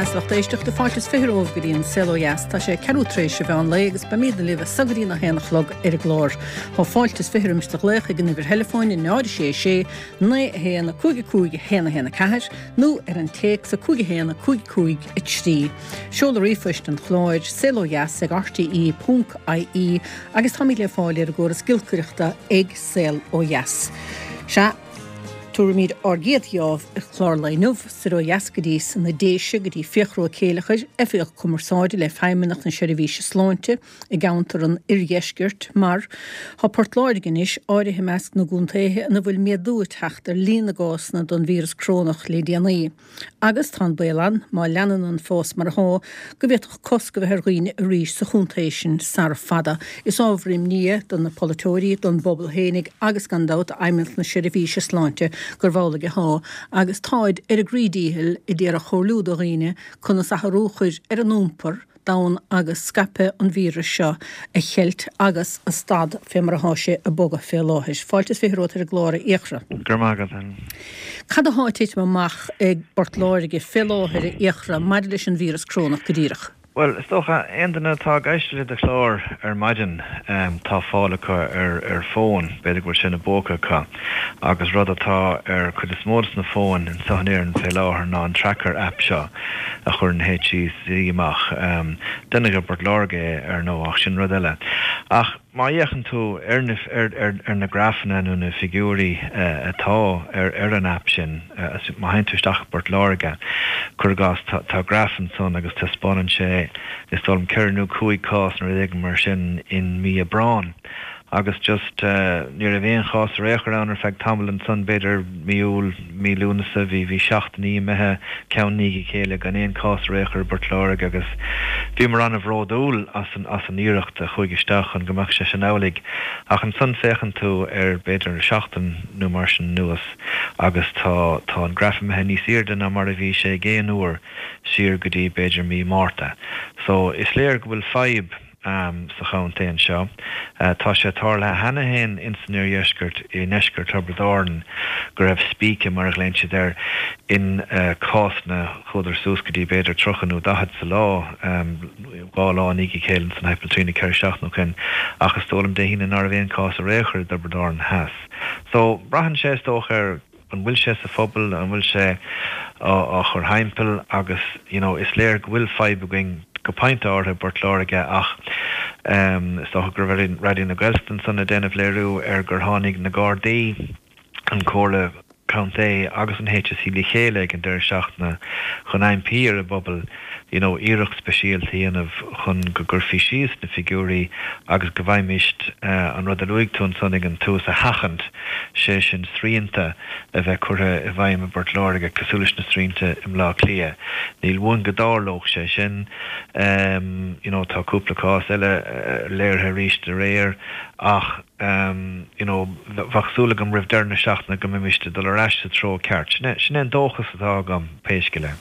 Dheas, lucht éisteachta, fáilte is 20 romhaibh go dtí an Saol Ó Dheas. Tá sé ceathrú tar éis an mheán lae agus beimídne libh as so go dtí a haon a chlog ar an gclár. Tá fáilte is 20 roimis do ghlaoch ag an uimhir theileafóin 0 6 6 9 1 5 5 1 1 4 nó ar an téacs 5 1 5 5 3. Seoladh ríomhphoist an chláir, saolodheas ag rte.ie agus táimid le fáil ar an gcóras giolcaireachta ag Saol Ó Dheas. Sea. Tabharfaimid ár gcéad gheábh ar chlár lae inniu, soir ó dheas go dtí sna Déise, go dtí Fiachra Ó Céileachair, Oifigeach Cumarsáide le Feidhmeannacht na Seirbhíse Sláinte i gceantar an Oirdheiscirt, mar tá Port Láirge anois áirithe i measc na gcontaetha ina bhfuil méadú ag teacht ar líon na gcásanna den víreas corónach le déanaí. Agus tá an baol ann, má leanann an fás mar atá, go bhféadfadh cosc a bheith ar dhaoine arís sa chontae sin sara fada. Is ábhar imní é do na polaiteoirí, don bpobal fhéinig agus gan dabht d'Fheidhmeannacht na Seirbhíse Sláinte gurb amhlaidh atá, agus táid ar a gcroí díchill a d'iarraidh comhairliú do dhaoine conas athrú a chur ar a n-iompar, d'fhonn agus scaipeadh an víris seo a cheilt agus a stad fé mar atá sé ag bogadh fé láthair. Fáilte is 20 romhat ar an gclár, a Fhiachra. Go raibh maith agat, Helen. Cad athá ag titim amach i bPort Láirge fé láthair, a Fhiachra, maidir leis an víreas corónach go díreach? Bhuel, is dócha, aon duine atá ag éisteacht le do chlár ar maidin, tá fáil acu ar fón, b'fhéidir go bhfuil sé ina bpóca acu, agus rud atá ar cuid is mó de na fóin anseo in Éirinn fé láthair ná an tracker app seo a chuir an HSE amach. Deineadh i bPort Láirge é, ar ndóigh, ach sin rud eile. Ach má fhéachann tú ar na, ar na grafanna nó na figiúirí atá ar, ar an aip sin, má théann tú isteach i bPort Láirge, cuir i gcás, tá, tá graf ansan agus taispeánann sé, is dóigh liom, ceithre nó cúig cás nó rud éigin mar sin in mí Aibreáin. Agus just, ní raibh aon chás ar aon chor ann ar feadh tamaill ansan, b'fhéidir mí Iúil, mí Lúnasa, bhí, bhí seachtainí imithe ceann i ndiaidh a chéile gan aon chás ar aon chor i bPort Láirge agus bhíomar an-bhródúil as an, as an iarracht a chuaigh isteach chun go mbeadh sé sin amhlaidh. Ach ansan féachann tú ar b'fhéidir seachtain nó mar sin anuas agus tá, tá an graf imithe níos airde ná mar a bhí sé ag aon uair siar go dtí b'fhéidir mí Márta. So is léir go bhfuil fadhb. sa chontae anseo. Tá sé tarlaithe cheana féin ins an oirdheisceart, i ndeisceart Thiobraid Árann, go raibh spíce, mar a ghlaonn siad air, in cásanna, chuadar suas go dtí b'fhéidir 30 nó 40 sa lá, dhá lá i ndiaidh a chéile ansan thimpeall trí nó ceithre seachtaine ó shin, ach is dóigh liom Dé hAoine ná raibh aon chás ar aon chor i dTiobraid Árann Theas. So, braitheann sé, is dócha, ar. an bhfuil sé sa phobal, an bhfuil sé á chur thimpeall agus you know is léir go bhfuil fadhb againn go pointe áirithe i bPort Láirge ach is dócha go raibh Raidió na Gaeltachta ansan ag déanamh léiriú ar gur tháinig na Gardaí, an Comhairle Contae agus an HSE le chéile ag an deireadh seachtaine chun impí ar an bpobal you know iarracht speisialta a dhéanamh chun go gcuirfí síos na figiúirí agus go bhfaighimist an rud a luaigh tú ansan ag an tús a sheachaint, sé sin srianta a bheith curtha i bhfeidhm i bPort Láirge cosúil leis na srianta i mBleá Cliath. Níl uainn go dtarlódh sé sin. You know tá cúpla cás eile léirithe arís aréir ach you know bheadh súil agam roimh deireadh na seachtaine go mbeimist ag dul ar ais sa treo ceart. Sin é, sin é an dóchas atá agam pé scéal é.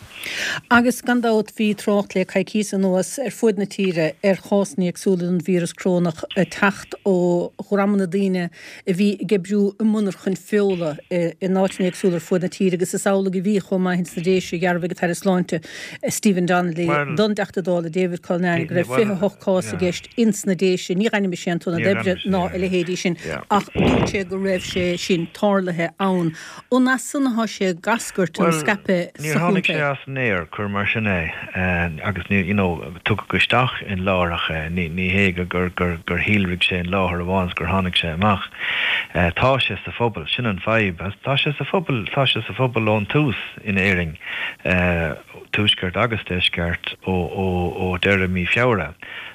Agus gan dabht bhí trácht le coicíos anuas ar fuaid na tíre ar chásanna éagsúla den víreas corónach ag teacht ó dhreamanna daoine a bhí ag oibriú i monarchain feola in áiteanna éagsúla ar fuaid na tíre agus is amhlaidh a bhí chomh maith ins na Déise, dhearbhaigh an tAire Sláinte Stephen Donnelly don dTeachta Dála David Cullinane go raibh 28 cás i gceist ins na Déise. Níor ainmnigh sé an t-ionad oibre ná a leithéidí sin ach dúirt sé go raibh sé sin tarlaithe ann. An as san athá sé ag eascairt an Bhuel, scaipeadh níor sa tháinig sé chontae? as an aer, cuir mar sin é, agus ní, you know, tugadh isteach in láithreach é, ní, ní hé go, gur, gur, gur shíolraigh sé in láthair amháin is gur tháinig sé amach. Tá sé sa phobal, sin an fadhb. Tá sé sa phobal, tá sé sa phobal ón tús in Éirinn, tuaisceart agus deisceart, ó, ó, ó deireadh mí Feabhra.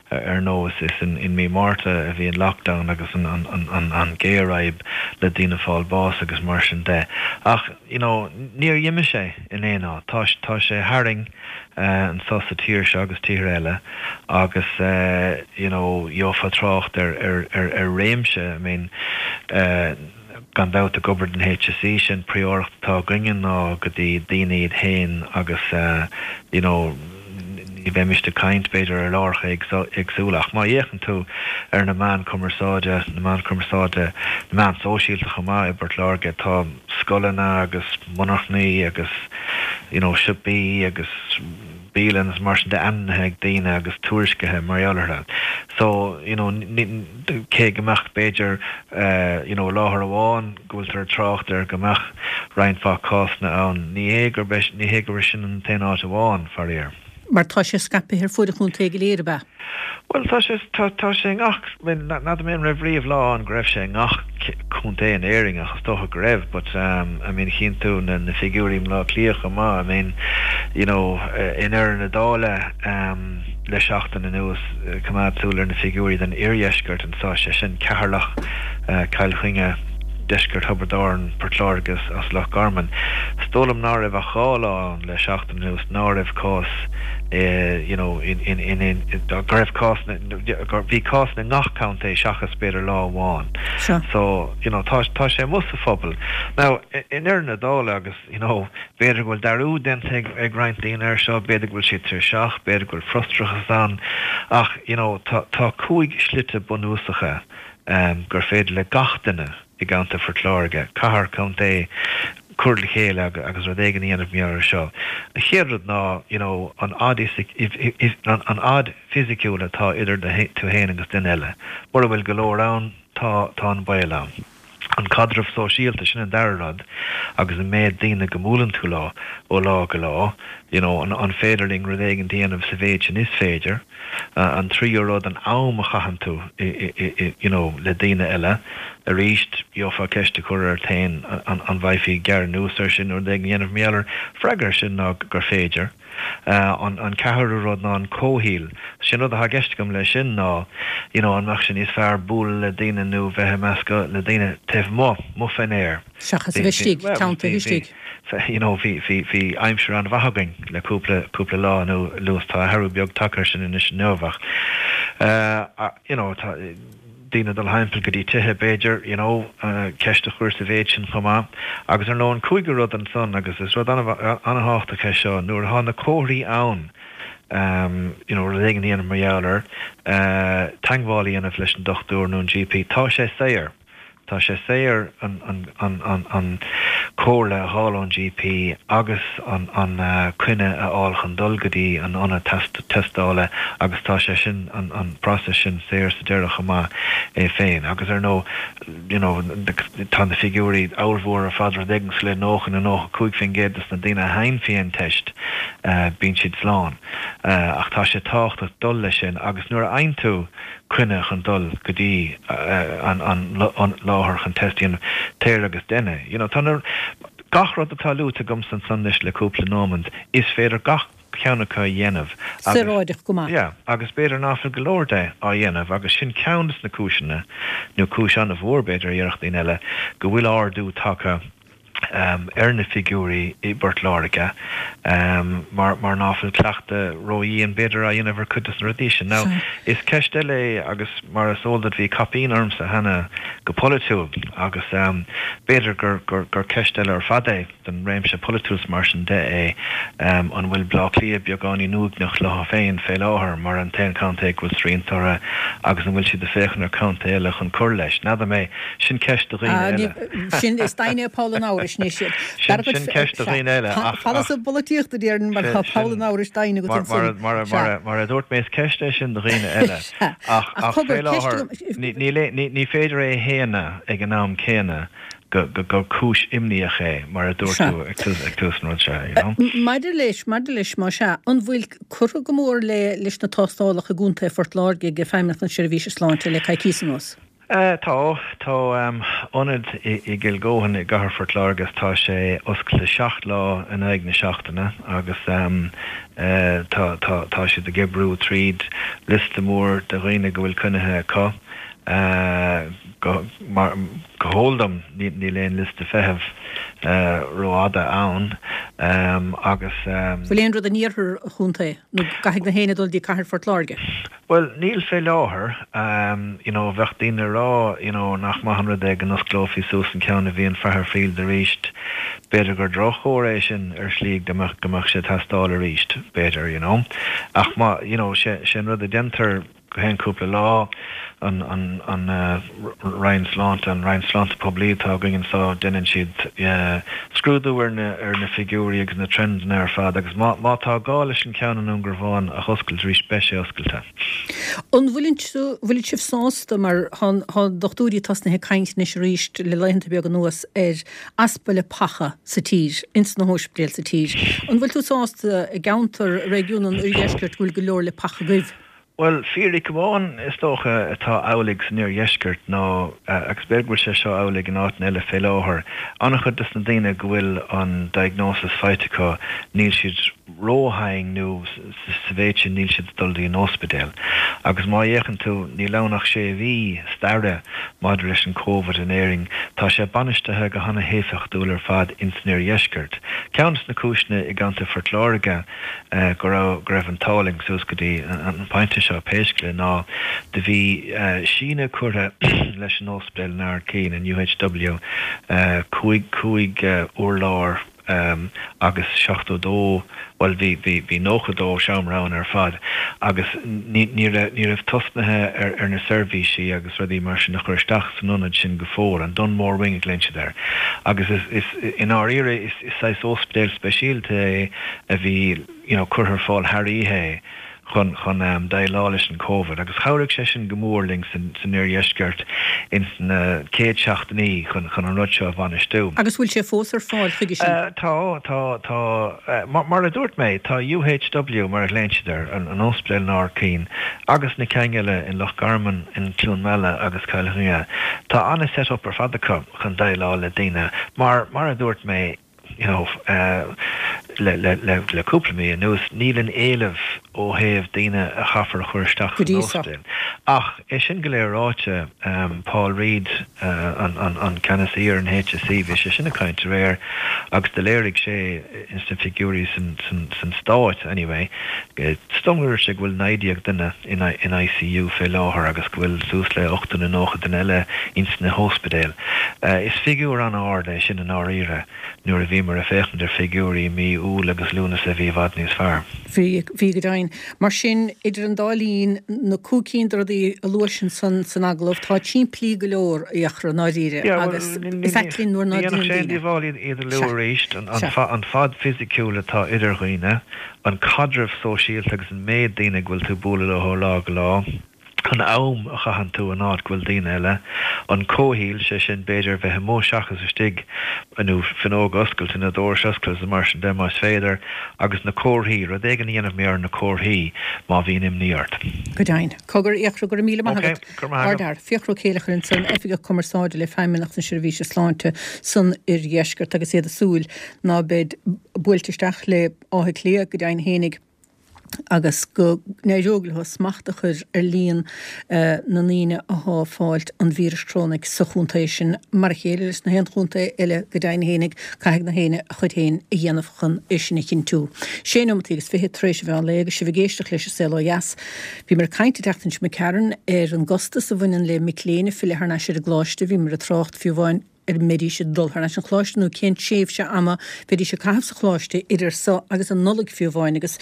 Ar ndóigh, is in mí Márta a bhí an lockdown agus an ghéarfhadhb le daoine fáil bás agus mar sin de. Ach, you know, níor dh'imigh sé in aon áit. Tá, tá sé tharainn anso sa tír seo agus tíortha eile agus, you know, gheofá trácht ar, ar, ar, ar réimse, I mean, Gan dabht ag obair don HSE, sé an príóireacht atá againne ná go dtí daoine iad féin agus you know ní bheimist ag caint b'fhéidir ar láithreacha éagsúla ach má fhéachann tú ar na meáin cumarsáide, na meáin cumarsáide, na meáin sóisialta chomh maith i bPort Láirge, tá scoileanna agus monarchnaí agus you know siopaí agus. bialann is mar sin de ainmnithe ag daoine agus tuairiscithe mar gheall orthu. So, you know, cé go mbeadh b'fhéidir, you know, láthair amháin go bhfuiltear ag trácht air go mbeadh roinnt mhaith cásanna ann, ní hé gurb é, ní hé gurb é sin an t-aon áit amháin, faraor. Mar tá sé scaipthe ar fuaid an chontae go léir, ab ea? Bhuel, tá sé, tá, tá sé i ngach, bhuel, n'fheadar mé an raibh riamh lá ann go raibh sé i ngach contae in Éirinn ach is dócha go raibh but um, I mean chíonn tú na, na figiúirí i mBleá Cliath chomh maith, I mean, you know, i ndeireadh na dála um, le seachtain anuas, coimeád súil ar na figiúirí den iardheisceart anseo, sé sin Ceatharlach, Cill Chainnigh, deisceart Thiobraid Árann, Port Láirge agus Loch Garman. Is dóigh liom ná raibh ach 2 lá ann le seachtain. anuas ná raibh cás you know in in in in go raibh cás gur bhí cás i ngach contae seachas b'fhéidir lá amháin. Sure. So you know tá tá sé amuigh sa phobal. Now i ndeireadh na dála agus you know b'fhéidir go bhfuil dearúd déanta ag ag roinnt daoine air seo, b'fhéidir go bhfuil siad tuirseach, b'fhéidir go bhfuil frustrachas ann ach you know tá tá 5 slite bunúsacha um gur féidir le gach duine i gContae Phort Láirge, cathair, contae, cur le chéile agus rud éigin a dhéanamh mar gheall air seo. An chéad rud ná you know an fhad an fhad fisiciúil atá idir tú féin agus duine eile. Mura bhfuil go leor ann, tá tá an baol ann. An caidreamh sóisialta, sin an dara rud agus an méid daoine go mbuaileann tú leo ó lá go lá, you know an féidir linn rud éigin a dhéanamh sa mhéid sin is féidir. An tríú rud, an am a chaitheann tú you know le daoine eile. Arís, gheofá ceist a chur ort féin an bhféadfaí gearradh anuas air sin nó rud éigin a dhéanamh mar gheall air. Freagra air sin ná gur féidir. An ceathrú rud ná an comhshaol. Sin rud atá i gceist agam leis sin ná you know an mbeadh sé níos fearr bualadh le daoine nó bheith i measc le daoine taobh amuigh, amuigh fén aer. Seachas a bheith istigh, teanntaithe istigh. You know, bhí, bhí, bhí aimsir an-mhaith againn le cúpla, cúpla lá anuas. Tá athrú beag tagtha air sin anois inniu ach, eh, you know, tá daoine ag dul thimpeall go dtí tithe b'fhéidir, you know, ceist a chur sa mhéid sin chomh maith. Agus ar ndóigh an cúigiú rud ansan, agus is rud an-thábhachtach é seo, nuair atá na comharthaí ann, you know, rud éigin a dhéanamh mar gheall air, eh, teagmháil a dhéanamh leis an dochtúir nó an GP, tá sé saor. Tá sé saor an comhairle a fháil ón GP agus an coinne a fháil chun dul go dtí an ionad tástála agus tá sé sin, an process sin saor sa deireadh chomh maith é féin. Agus ar ndóigh, you know, tá na figiúirí ollmhór ar fad, rud éigin cosúil le 90 nó 95% des na daoine a théann faoi an teist, bíonn siad slán. Ach tá sé tábhachtach dul leis sin agus nuair a fhaigheann tú coinne chun dul go dtí an láthair chun test a dhéanamh, téir agus dein é. You know, tá na, gach rud atá luaite agamsa ansan anois le cúpla nóimeant, is féidir gach ceann acu a dhéanamh agus, Saoráideach go maith. yeah, agus b'fhéidir ná fuil go leor de á dhéanamh agus sin ceann des na cúiseanna, nó cúis an-mhór b'fhéidir a déarfadh daoine eile, go bhfuil ardú tagtha ar na figiúirí i bPort Láirge mar mar ná fuil cleachtadh ródhian b'fhéidir á dhéanamh ar cuid de na rudaí sin. Now, is ceist eile é agus mar is eol duit bhí caipín ormsa cheana go polaitiúil agus b'fhéidir gur gur gur ceist eile ar fad é don réimse polaitiúil is mar sin de é an bhfuil Bleá Cliath beagáinín uaigneach leo féin fé láthair mar an t-aon chontae go bhfuil srianta orthu agus an bhfuil siad ag féachaint ar chontae eile chun cur leis. N'fheadar mé. Sin ceist do dhaoine eile. Sin, is deimhin é poll an amhrais anois. Sin, sin ceist do dhaoine eile ach, Fan as an bpolaitíocht a déarfainn mar tá poll an amhrais deimhin agat ansin. Mar, mar, mar a dúirt mé is ceist é sin do dhaoine eile ach, ach fé láthair ní, ní, ní féidir é a shéanadh ag an am céanna go, go, gur cúis imníoch é mar a dúirt tú ag tús, ag tús an rud seo, you know. Maidir leis, maidir leis, más ea, an bhfuil curtha go mór le, leis na tástálacha i gContae Phort Láirge ag Feidhmeannacht na Seirbhíse Sláinte le coicíos anuas? Tá. Tá ionad i gCill Góthain i gCathair Phort Láirge agus tá sé oscailte 7 lá in aghaidh na seachtaine agus tá tá tá siad ag oibriú tríd liosta mór de dhaoine go bhfuil coinnithe acu. Go mar go heol dom níl aon liosta feithimh rófhada ann agus. Bhfuil aon rud in iarthar an chontae nó caithfidh gach éinne dul dtí Cathair Phort Láirge? Bhuel, níl fé láthair. You know, bheadh daoine ag rá, you know, nach maith an rud é go n-osclófaí suas an ceann a bhí in Faherfield arís. B'fhéidir gur droch-chomhartha é sin ar shlí go mbeadh, go mbeadh sé ag teastáil arís, b'fhéidir, you know. Ach má, you know, sé, sé an rud a déantar. go haon cúpla lá, an an Roinn Sláinte, an Roinn Sláinte Poiblí atá againn anseo, déanann siad scrúdú ar na ar na figiúirí agus na trendanna ar fad agus má má tá gá leis an ceann i nDún Garbhán a oscailt arís beidh sé oscailte. An bhfuileann bhfuil sibh sásta mar tá tá dochtúirí tosnaithe ag caint anois arís le laethanta beaga anuas ar easpa leapacha sa tír, ins na hóispidéil sa tír. An bhfuil tú sásta i gceantar, réigiún an Oirdheiscirt go bhfuil go leor leapacha agaibh? Bhuel, fíric amháin, is dócha, atá amhlaidh san Iardheisceart ná, agus b'fhéidir go bhfuil sé seo amhlaidh in áiteanna eile fé láthair, an-chuid des na daoine go bhfuil an diagnosis faighte acu, níl siad róthe nó sa mhéid sin níl siad ag dul dtí an óspidéal. Agus má fhéachann tú, níl ann ach sé mhí staire maidir leis an Covid in Éirinn, tá sé bainistithe go hana-héifeachtúil ar fad ins an Iardheisceart. Ceann des na cúiseanna i gContae Phort Láirge, go raibh go raibh an t-ádh linn suas go dtí an pointe seo pé scéal é ná do bhí síneadh curtha leis an óspidéal in Ard Caoin, an UHW, 5 5 urlár agus 72, bhuel bhí bhí bhí 92 seomra ann ar fad agus ní ní raibh ní raibh tosnaithe ar ar na seirbhísí agus rudaí mar sin a chur isteach san ionad sin go fóill, an Dunmore Wing a ghlaonn siad air agus is is i ndáiríre is Is saghas óspidéal speisialta é a bhí you know curtha ar fáil thar oíche é chun chun déileáil leis an Covid agus chabhraigh sé sin go mór linn san san oirdheisceart ins na chéad seachtainí chun chun an rud seo a bhainistiú. Agus bhfuil sé fós ar fáil chuige sin? Tá, tá, tá. Mar a dúirt mé, tá UHW, mar a ghlaonn siad air, an an óspidéal in Ard Caoin agus na cinn eile in Loch Garman, in Cluain Meala agus Cill Chainnigh, tá an-set up ar fad acu. chun déileáil le daoine mar, mar a dúirt mé, you know, le, le, le, le cúpla mí anuas, níl an éileamh ó thaobh daoine a chaithfear a chur isteach san óspidéal. Ach é sin go léir ráite, Paul Reid, an, an, an ceannasaí ar an HSE, bhí sé sin ag caint aréir agus do léirigh sé ins na figiúirí san, san, san Stát anyway, Is dóigh liom go ndúirt sé go bhfuil 19 duine in ICU fé láthair agus go bhfuil suas le 80 nó 90 duine eile ins na hóspidéil. Is figiúr an-ard é sin i ndáiríre nuair a bhíomar ag féachaint ar figiúirí mí Iúil agus Lúnasa a bhí i bhfad níos fearr. Bhí, bhí go deimhin. Mar sin, idir an dá linn, na cúig cinn de rudaí a luais ansan san agallamh, táid simplí go leor, a Fhiachra, i ndáiríre, agus is ait linn nuair ná déanann daoine. Ní dhéanfadh sé aon díobháil iad a lua arís, an fad fisiciúil atá idir dhaoine, an caidreamh sóisialta agus an méid daoine go bhfuil tú ag bualadh leo ó lá go lá, an am a chaitheann tú in áit go bhfuil daoine eile, an comhshaol, sé sin b'fhéidir bheith amuigh seachas istigh, nó fuinneoga oscailte nó dorais oscailte is mar sin de más féidir, agus na comharthaí, rud éigin a dhéanamh mar gheall ar na comharthaí má bhíonn imní ort. Go deimhin. Cogar, a Fhiachra, go raibh míle maith agat. Ok, go raibh maith agat. Ardfhear. Fiachra Ó Céileachair ansan, Oifigeach Cumarsáide le Feidhmeannacht na Seirbhíse Sláinte san Oirdheisceart agus iad ag súil ná beid buailte isteach le Áth Cliath, go deimhin fhéinig, agus go n-éireoidh leo smacht a chur ar líon na ndaoine athá ag fáilt an víris chrónaigh sa chontae sin. Mar a chéile leis na haon chontae eile, go deimhin fhéinig, caithfidh na héinne a chuid féin a dhéanamh chun é sin a chinntiú. Sé neomataí agus 20 tar éis an mheán lae agus sibh ag éisteacht leis an Saol Ó Dheas. Bhíomar ag caint an tseachtain seo imigh tharainn ar an gcostas a bhaineann le mic léinn ag filleadh thar n-ais ar an gcoláiste. Bhíomar ag trácht fiú amháin ar an mbeidís ag dul thar n-ais an choláiste nó cén tréimhse ama bheidís ag caitheamh sa choláiste idir so agus an Nollaig fiú amháin agus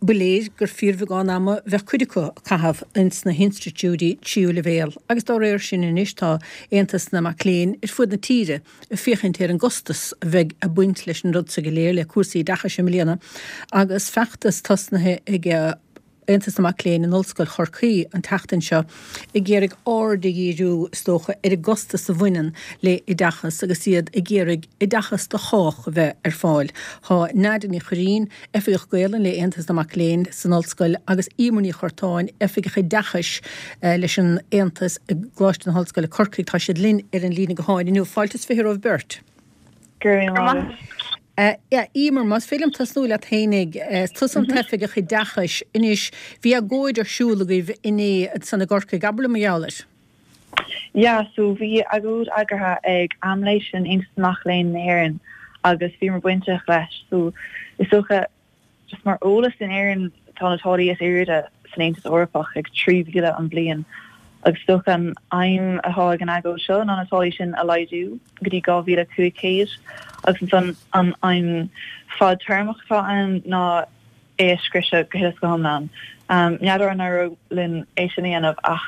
ba léir gur fíorbheagán ama bheadh cuid acu ag caitheamh ins na hinstitiúidí tríú leibhéal agus dá réir sin anois tá Aontas na Mac Léinn ar fud na tíre ag féachaint ar an gcostas a bheidh ag baint leis an rud so go léir le cúrsaí oideachais i mbliana agus feachtas tosnaithe ag Aontas na Mac Léinn in Ollscoil Chorcaí an tseachtain seo ag iarraidh aird a dhíriú, is dócha, ar an gcostas a bhaineann le oideachas agus iad ag iarraidh oideachas do chách a bheith ar fáil. Tá Nadia Ní Chuirrín, Oifigeach Gaolainne le Aontas na Mac Léinn san Ollscoil agus Emer Ní Churtáin, Oifigeach Oideachais leis an Aontas i gColáiste na hOllscoile Corcaigh, tá siad linn ar an líne gutháin inniu. Fáilte is 20 romhaibh beirt. Go raibh maith agat. Emer, más féidir liom tosnú leat fhéinig, is tusa an tOifigeach Oideachais. Anois, bhí agóid ar siúl agaibh inné ansan i gCorcaigh, abair liom mar gheall air. Yeah, so bhí agóid eagraithe ag AMLÉ, sin Aontas na Mac Léinn na hÉireann, agus bhíomar bainteach leis. So is dócha Just mar eolas, in Éirinn tá na táillí is airde san Aontas Eorpach ag 3,000 an bhliain agus is dócha an aidhm atá ag an agóid seo ná na táillí sin a laghdú go dtí 2,500 agus ansan an aidhm fadtéarmach atá ann ná. É a scriosadh go huile is go hiomlán. N'fheadar an éireoidh linn é sin a dhéanamh ach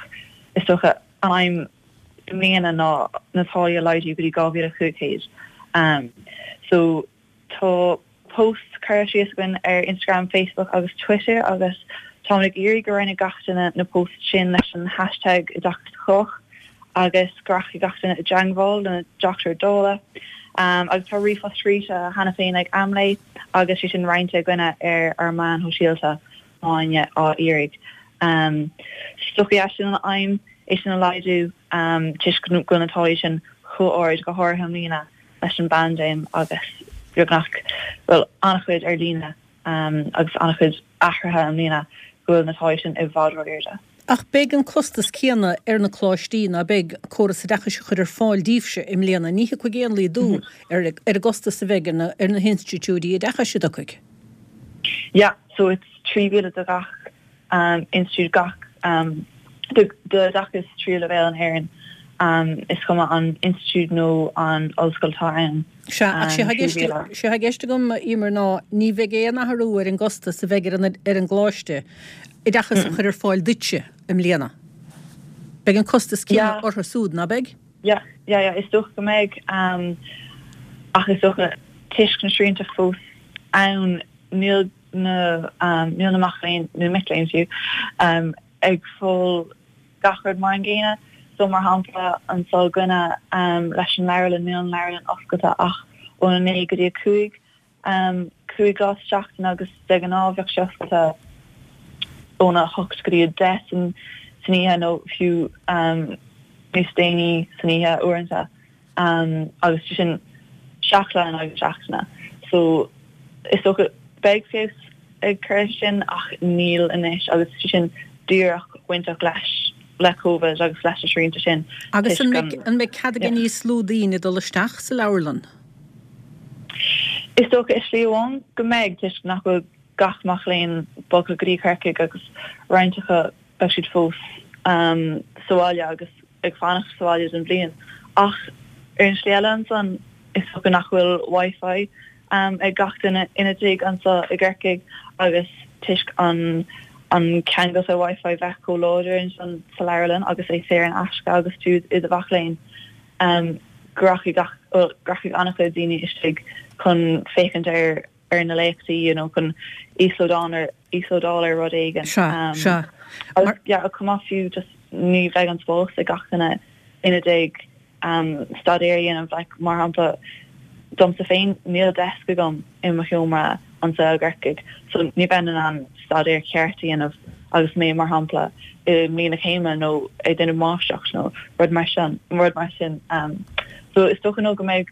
is dócha an aidhm i mbliana ná na táillí a laghdú go dtí 2,500. So tá post curtha síos againn ar Instagram, Facebook agus Twitter agus táimid ag iarraidh go roinnfidh gach duine na posts sin leis an hashtag Oideachas do Chách agus go rachaidh gach duine i dteangmháil lena dTeachta Dála. Agus tá ríomhphost scríte cheana féin ag Amlé agus sé sin roinnte againne ar ár meáin shóisialta má tá éinne á iarraidh. Is dócha yeah sin an aidhm, é sin a laghdú toisc go bhfuil na táillí sin chomh ard, go háirithe i mbliana leis an bpaindéim agus beagnach, bhuel, an-chuid ar líne agus an-chuid athruithe i mbliana go bhfuil na táillí sin i bhfad ró-airde. Ach beidh an costas céanna ar na coláistí, ná beidh, córas oideachais a chur ar fáil daoibhse i mbliana. Ní thiocfaidh aon laghdú ar ar an gcostas a bheidh ar na ar na hinstitiúidí oideachais, an dtiocfaidh? Yeah, so it's 3,000 do gach institiúid, gach d'oideachas tríú leibhéal in Éirinn, is cuma an institiúid nó an ollscoil atá ann. Sea, ach sé atá i gceist, sé atá i gceist agam, a Emer, ná ní bheidh aon athrú ar an gcostas a bheidh ar an ar an gcoláiste oideachas a chur ar fáil duitse i mbliana. Beidh an costas céanna orthu súd, ná beidh? Yeah, yeah, yeah, is dócha go mbeidh, ach is dócha toisc na srianta fós ann, níl na, níl na mac léinn, nó mic léinn fiú, ag fáil gach rud mar an gcéanna. So mar shampla, anseo againne leis an leabharlann, níl an leabharlann oscailte ach óna 9 go dtí 5, 5 lá sa tseachtain agus de ghnáth bheadh sé oscailte óna 8 go dtí 10 san oíche nó fiú níos déanaí san oíche uaireanta. agus sé sin 7 lá in aghaidh na seachtaine. So is dócha beidh feabhas ag cur leis sin ach níl anois agus sé sin díreach bainteach leis le Covid agus leis na srianta sin. Agus an mbeidh an mbeidh cead ag níos lú daoine dul isteach sa leabharlann? Is dócha i slí amháin go mbeidh toisc nach bhfuil gach mac léinn bogtha go dtí Corcaigh agus roinnt acu beidh siad fós sa bhaile agus ag fanacht sa bhaile don bhliain. Ach ar an slí eile ansan, is dócha nach bhfuil Wi-Fi ag gach duine ina dtigh anso i gCorcaigh agus toisc an an ceangailte Wi-Fi bheith chomh láidir ansan sa leabharlann agus é saor in aisce agus tú i do mhac léinn, go rachaidh gach, bhuel, go rachaidh an-chuid daoine istigh chun féachaint ar ar na léachtaí nó chun íoslódáil ar íoslódáil ar rud éigin. Sea, sea. Agus yeah, chomh maith fiú just ní bheidh an spás ag gach duine ina dtigh staidéar a dhéanamh like mar shampla domsa féin níl desk agam i mo sheomra anseo i gCorcaigh so ní bheinn in ann staidéar ceart a dhéanamh agus mé mar shampla i mbliain na céime nó ag déanamh máistreacht nó rud mar sin rud mar sin so is dócha nó go mbeidh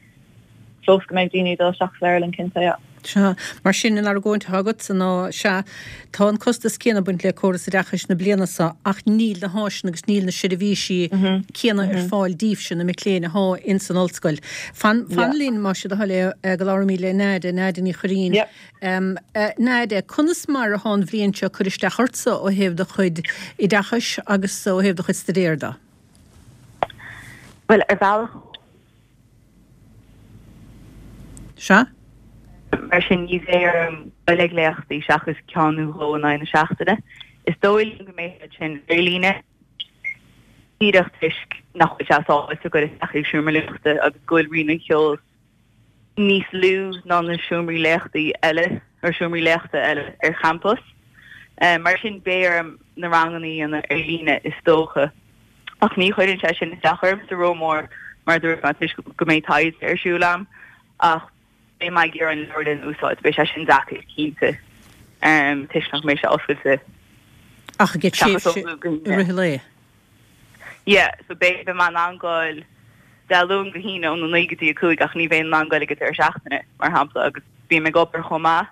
fós go mbeidh daoine ag dul isteach sa leabharlann, cinnte, yeah. Sea. Mar sin, an argóint atá agatsa ná, sea, tá an costas céanna ag baint le córas oideachais na bliana seo ach níl na háiseanna agus níl na seirbhísí céanna ar fáil daoibhse, na mic léinn athá ins an ollscoil. Fan, fan linn, más é do thoil é, go labhraímid le Nadia, Nadia Ní Chuirrín. Nadia, conas mar athá an bhliain seo ag cur isteach ortsa ó thaobh do chuid oideachais agus ó thaobh do chuid staidéir de? Bhuel, ar bhealach, Sea. Mar sin, ní bheidh orm dul ag léachtaí seachas ceann nó dhó in aghaidh na seachtaine. Is dóigh liom go mbeidh siad sin ar líne, díreach toisc nach bhfuil sé sábháilte dul isteach ag seomra léachta agus go bhfuil Roinn an Cheoil níos lú ná na seomraí léachtaí eile, nó seomraí léachta eile ar champas. Mar sin, beidh orm na ranganna a dhéanamh ar líne, is dócha. Ach ní chuireann sé sin isteach ormsa rómhór, mar a dúirt mé, toisc go mbeidh taighde ar siúl agam. Ach beidh mé ag iarraidh an leabharlann a úsáid, beidh sé sin deacair, cinnte, toisc nach mbeidh sé oscailte Ach i gcead tréimhse i rith an lae? Yeah, so beidh mé in ann goil Dé Luain go hAoine óna 9 go dtí 5 ach ní bheinn in ann goil ag an deireadh seachtaine, mar shampla, agus bím ag obair chomh maith.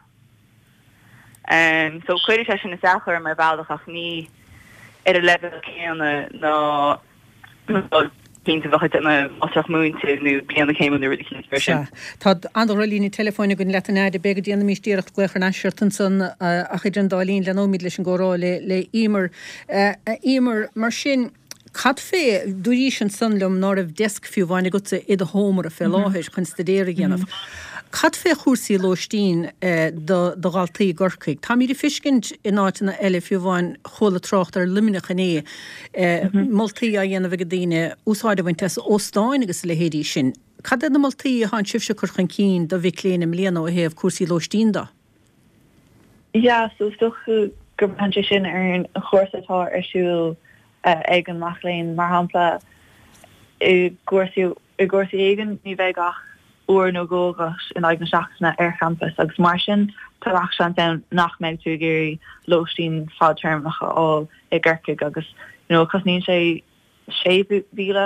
So cuirfidh sé sin isteach orm ar bhealach ach ní ar an leibhéal céanna ná cinnte bheadh ag déanamh máistreacht múinte nó bliain na céime nó rud eicínt mar sin. Sea. Tá an-droch-líne teileafóin againn leat a Nadia. B'fhéidir go ndéanfaimís iarracht glaoch thar n-ais ort ansan ach idir an dá linn leanóimid leis an gcomhrá le le Emer. A Emer, mar sin, cad fé, dúraís ansan liom ná raibh desk fiú amháin agatsa i do sheomra fé láthair chun staidéar a dhéanamh. Cad fé chúrsaí lóistín do dhaltaí i gCorcaigh? Táimid ag feiscint in áiteanna eile, fiú amháin chuala trácht ar Luimneach inné, moltaí á dhéanamh ag daoine úsáid a bhaint as óstáin agus a leithéidí sin. Cad é na moltaí atánn sibhse ag cur chun cinn do mhic léinn i mbliana ó thaobh cúrsaí lóistín de? Yeah, so is dócha go mbraitheann sé sin ar an chúrsa atá ar siúl ag an mac léinn. Mar shampla, i gcúrsaí i gcúrsaí éigin ní bheidh ach uair nó dhó agat in aghaidh na seachtaine ar champas agus mar sin tá gach seans ann nach mbeidh tú ag iarraidh lóistín fadtéarmach a fháil i gCorcaigh agus you know cosnaíonn sé 6,000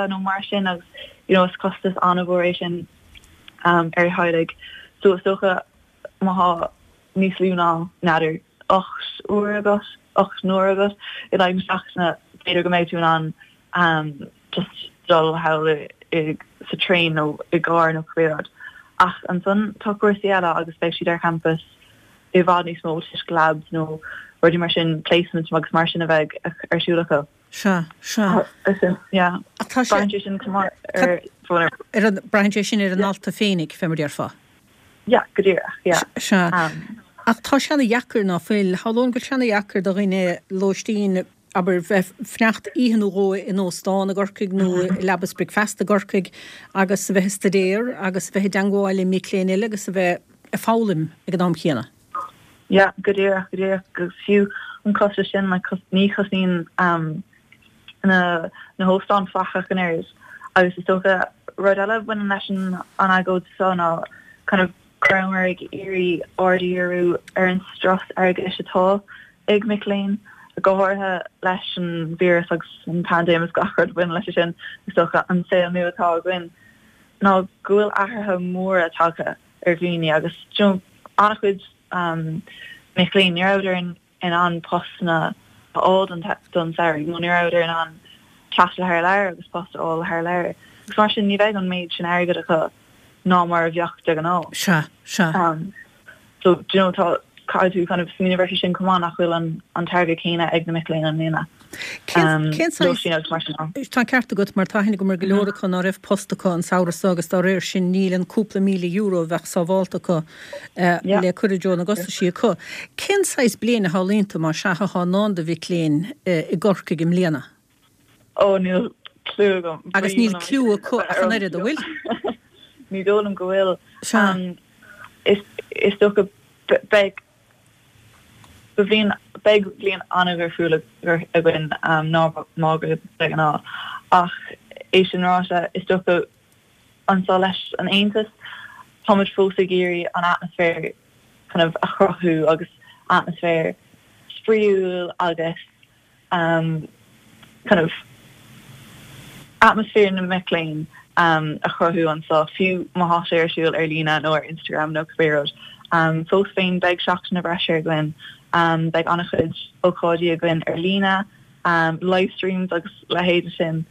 nó mar sin agus you know is costas an-mhór é sin ar theaghlaigh. So is dócha má thá níos lú ná, n'fheadar, 8 uair agat, 8 n-uair agat in aghaidh na seachtaine, b'fhéidir go mbeidh tú in ann just dul thall i sa traein nó i gcarr nó cibé rud. Ach ansan tá cúrsaí eile agus beidh siad ar champas i bhfad níos mó toisc labs nó rudaí mar sin, placements agus mar sin a bheidh ar siúl acu. Sea, sea. Yeah. Ach tá sé. Braitheann sé sin chomh maith ar. Ar an, braitheann sé sin ar an ndalta féinig, fé mar déarfá. Yeah, go díreach, yeah. Sea. Ach tá sé ana dheacair, ná fuil? Shamhlóinn go bhfuil sé ana dheacair do dhuine lóistín, abair, bheith fanacht oíche nó dhó in óstán i gCorcaigh nó i leaba is bricfeasta i gCorcaigh agus a bheith ag staidéar agus a bheith i dteangmháil le mic léinn eile agus a bheith ag foghlaim ag an am chéanna. Yeah, go díreach, go díreach. Agus fiú an costas sin, like, ní chosnaíonn um, na, na hóstáin faic ach an oiread. Agus is dócha rud eile a bhaineann leis an, an agóid seo ná kind of go rabhamar ag iarraidh aird a dhíriú ar an strus airgeadais atá ag mic léinn, go háirithe leis an víreas agus an paindéim agus gach rud a bhaineann leis sin, is dócha an saol nua atá againn, ná go bhfuil athruithe móra tagtha ar dhaoine agus you know an-chuid mic léinn ní rabhadar in ann postanna a fháil don don samhradh nó ní rabhadar in ann taisteal thar lear agus post a fháil thar lear agus mar sin ní bheidh an méid sin airgid acu ná mar a bheadh de ghnáth. Sea, sea. So do you know tá caithfidh tú kind of smaoineamh air sin chomh maith nach bhfuil an an t-airgead céanna ag na mic léinn i mbliana. Cén saghas, tá an ceart agat mar tá aithne agam ar go leor acu ná raibh post acu an samhradh seo agus dá réir sin níl an cúpla €1,000 a bheadh sábhálta acu le cur i dtreo na gcostaisí acu. Cén saghas bliain a shamhlaíonn tú má sea atá i ndán do mhic léinn i gCorcaigh i mbliana? Ó níl cliú agam. Agus níl cliú acu ach an oiread, an bhfuil? Ní dóigh liom go bhfuil. Is dócha beidh Ba bhliain, beidh bliain an-dhifriúil againn ná mar de ghnáth. Ach é sin ráite, is dócha anseo leis an Aontas, táimid fós ag iarraidh an atmaisféar kind of a chruthú agus atmaisféar spraíúil agus kind of atmaisféar na mic léinn a chruthú anseo, fiú má thá sé ar siúl ar líne nó ar Instagram nó cibé rud. Fós féin beidh Seachtain na bhFreisear againn, beidh an-chuid ócáidí againn ar líne, live streams agus leithéide sin,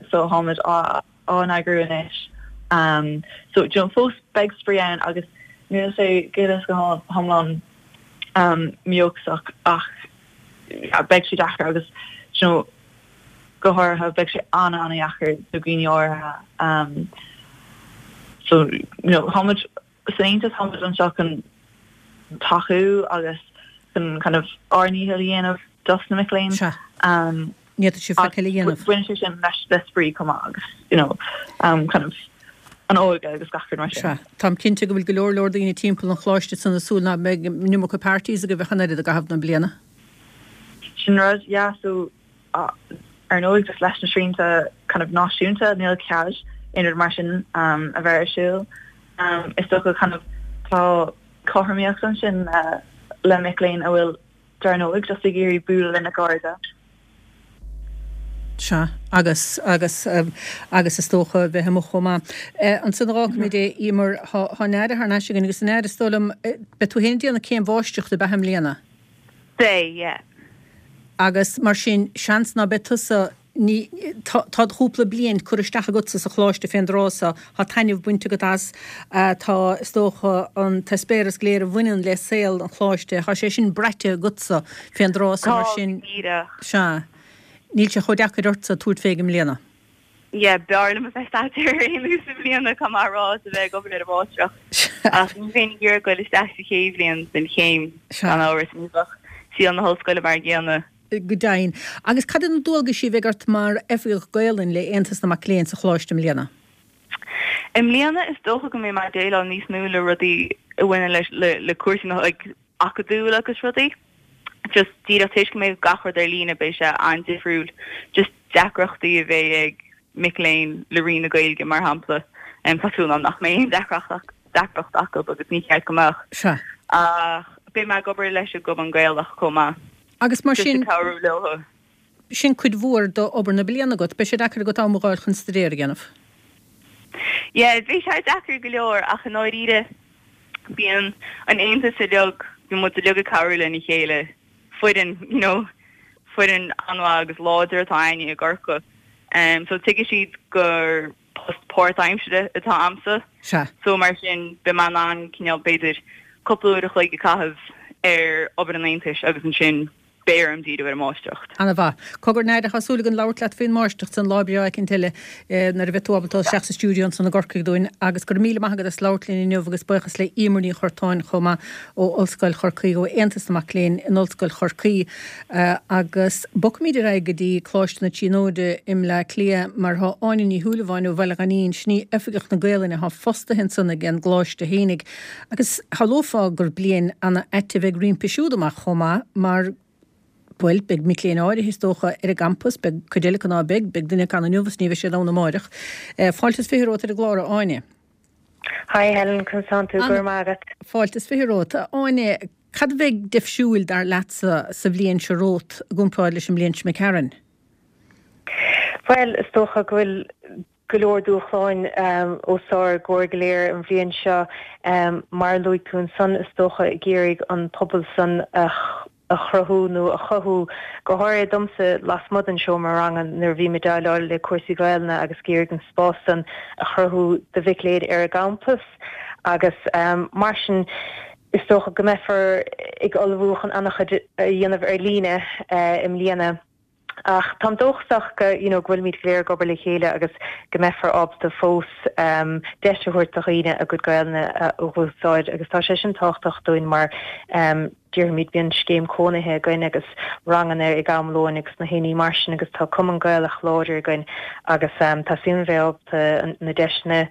so tháimid á á n-eagrú anois. So do you know fós beidh spraoi ann agus níl sé go huile is go hiomlán mídhóchasach ach beidh sé deacair agus do you know go háirithe beidh sé an-an-dheacair do dhaoine áirithe. So you know táimid san Aontas táimid anseo chun tacú agus chun kind of ár ndícheall a dhéanamh dos na mic léinn. Sea. Ní fhéadfadh sibh faic eile a dhéanamh. Baineann sé sin leis le spraoi chomh maith agus you know kind of an óige agus gach rud mar sin. Sea. Táim cinnte go bhfuil go leor leor daoine timpeall an choláiste san ag súil ná beidh an iomarca parties agaibh ach an oiread i gcaitheamh na bliana. Sin rud, yeah, so Ar ndóigh, just leis na srianta kind of náisiúnta, níl cead aon rud mar sin a bheith ar siúl. Is dócha kind of tá cothromaíocht ansin le mic léinn a bhfuil, dar ndóigh, just ag iarraidh bualadh lena gcairde. Sea, agus, agus, agus is dócha bheith amuigh chomh maith. Ansin a dh'fhágfaimid é, Emer, thá, thá an Aire thar n-ais againn agus an Aire, is dóigh liom, beidh tú féin ag déanamh céim mháistreachta, ab ea, i mbliana? Beidh, yeah. Agus mar sin, seans ná beidh tusa, ní, tá, tá do chúpla bliain curtha isteach agatsa sa choláiste fén dtráth so, tá taitneamh bainte agat as, tá, is dócha, an t-eispéireas go léir a bhaineann le saol an choláiste, tá sé sin braite agatsa fén dtráth so, mar Tá, sin, go díreach. sea, níl sé chomh deacair ortsa tabhairt fé i mbliana. Yeah, b'fhearr liom a bheith ag staidéar ar aon nós i mbliana, caithfidh mé a rá, is a bheith ag obair ar an mháistreacht. Ach ní bheinn ag iarraidh goil isteach sa chéad bhliain den chéim, gan amhras, ní bheadh saol na hollscoile mar an gcéanna. Go deimhin. Agus cad iad na dualgaisí a bheidh ort mar Oifigeach Gaolainn le Aontas na Mac Léinn sa Choláiste i mbliana? I mbliana is dócha go mbeidh mé ag déileáil níos mó le rudaí a bhaineann leis le cúrsaí na like acadúil agus rudaí. Just díreach toisc go mbeidh gach rud ar líne beidh sé an-difriúil. Just deacrachtaí a bheidh ag mic léinn le Roinn na Gaeilge mar shampla. Tá súil agam nach mbeidh aon deacracht deacracht acu agus ní cheart go mbeadh. Sea. Ach beidh mé ag obair leis an gCumann Gaelach chomh maith. Agus mar sin. Just ag cabhrú leo. Sin cuid mhór d'obair na bliana agat. Beidh sé deacair agat am a dh'fháil chun staidéar a dhéanamh. Yeah, beidh sé deacair go leor ach i ndáiríre bíonn an aontas uilig, bíonn muid uilig ag cabhrú lena chéile, foireann, you know, foireann an-mhaith agus láidir atá againne i gCorcaigh. So tuigfidh siad gur post páirtaimsire atá a'msa. Sea. So mar sin beidh mé in ann cineál b'fhéidir cúpla uair a chloig a chaitheamh ar obair an aontais agus ansin beidh orm díriú ar an máistreacht. Ana-mhaith. Cogar, a Áine, tá súil againn labhairt leat faoin máistreacht san lá breá eicínt eile nuair a bheidh tú ábalta dul isteach sa stiúideo ansan i gCorcaigh dúinn. Agus go raibh míle maith agat as labhairt linn inniu agus buíochas le Emer Ní Churtáin chomh maith ó Ollscoil Chorcaí, ó Aontas na Mac Léinn in Ollscoil Chorcaí. Agus bogfaimid ar aghaidh go dtí Coláiste na Tríonóide i mBleá Cliath mar tá Áine Ní Shúilleabháin ó Bhaile Ghainín, sin í Oifigeach na Gaelainne atá fostaithe ansan ag an gColáiste fhéinig. Agus shamhlófá gur bliain ana-ait a bheidh roimpi siúd amach chomh maith mar, bhuel, beidh mic léinn áirithe, is dócha, ar an gcampas, beidh cuid eile acu ná beidh, beidh duine acu ann inniu is ní bheidh siad ann amáireach. Fáilte is fiche romhat ar an gclár, a Áine. Hi Helen, conas tánn tú? Go raibh maith agat. Fáilte is fiche romhat. A Áine, cad a bheidh deifriúil, dar leatsa, sa bhliain seo romhat i gcomparáid leis an mbliain seo imigh tharainn? Bhuel, is dócha go bhfuil go leor dúshláin os ár gcomhair go léir an bhliain seo. Mar a luaigh tú ansan, is dócha ag iarraidh an pobal san a a chruthú nó a chothú, go háirithe domsa lasmuigh den seomra ranga nuair a bhím ag déileáil le cúrsaí Gaelainne agus ag iarraidh an spás san a chruthú do mhic léinn ar an gcampas agus mar sin is dócha go mbeifear ag ullmhú chun an-chuid a dhéanamh ar líne i mbliana. Ach táim dóchasach go, you know, go bhfuilimid go léir ag obair le chéile agus go mbeifear ábalta fós deis a thabhairt do dhaoine a gcuid Gaelainne a úsáid agus tá sé sin tábhachtach dúinn mar déarfaimid bíonn scéim cónaithe againn agus ranganna ag am lóin agus na haon ní mar sin agus tá cumann Gaelach láidir againn agus tá suim a bheith ábalta na deiseanna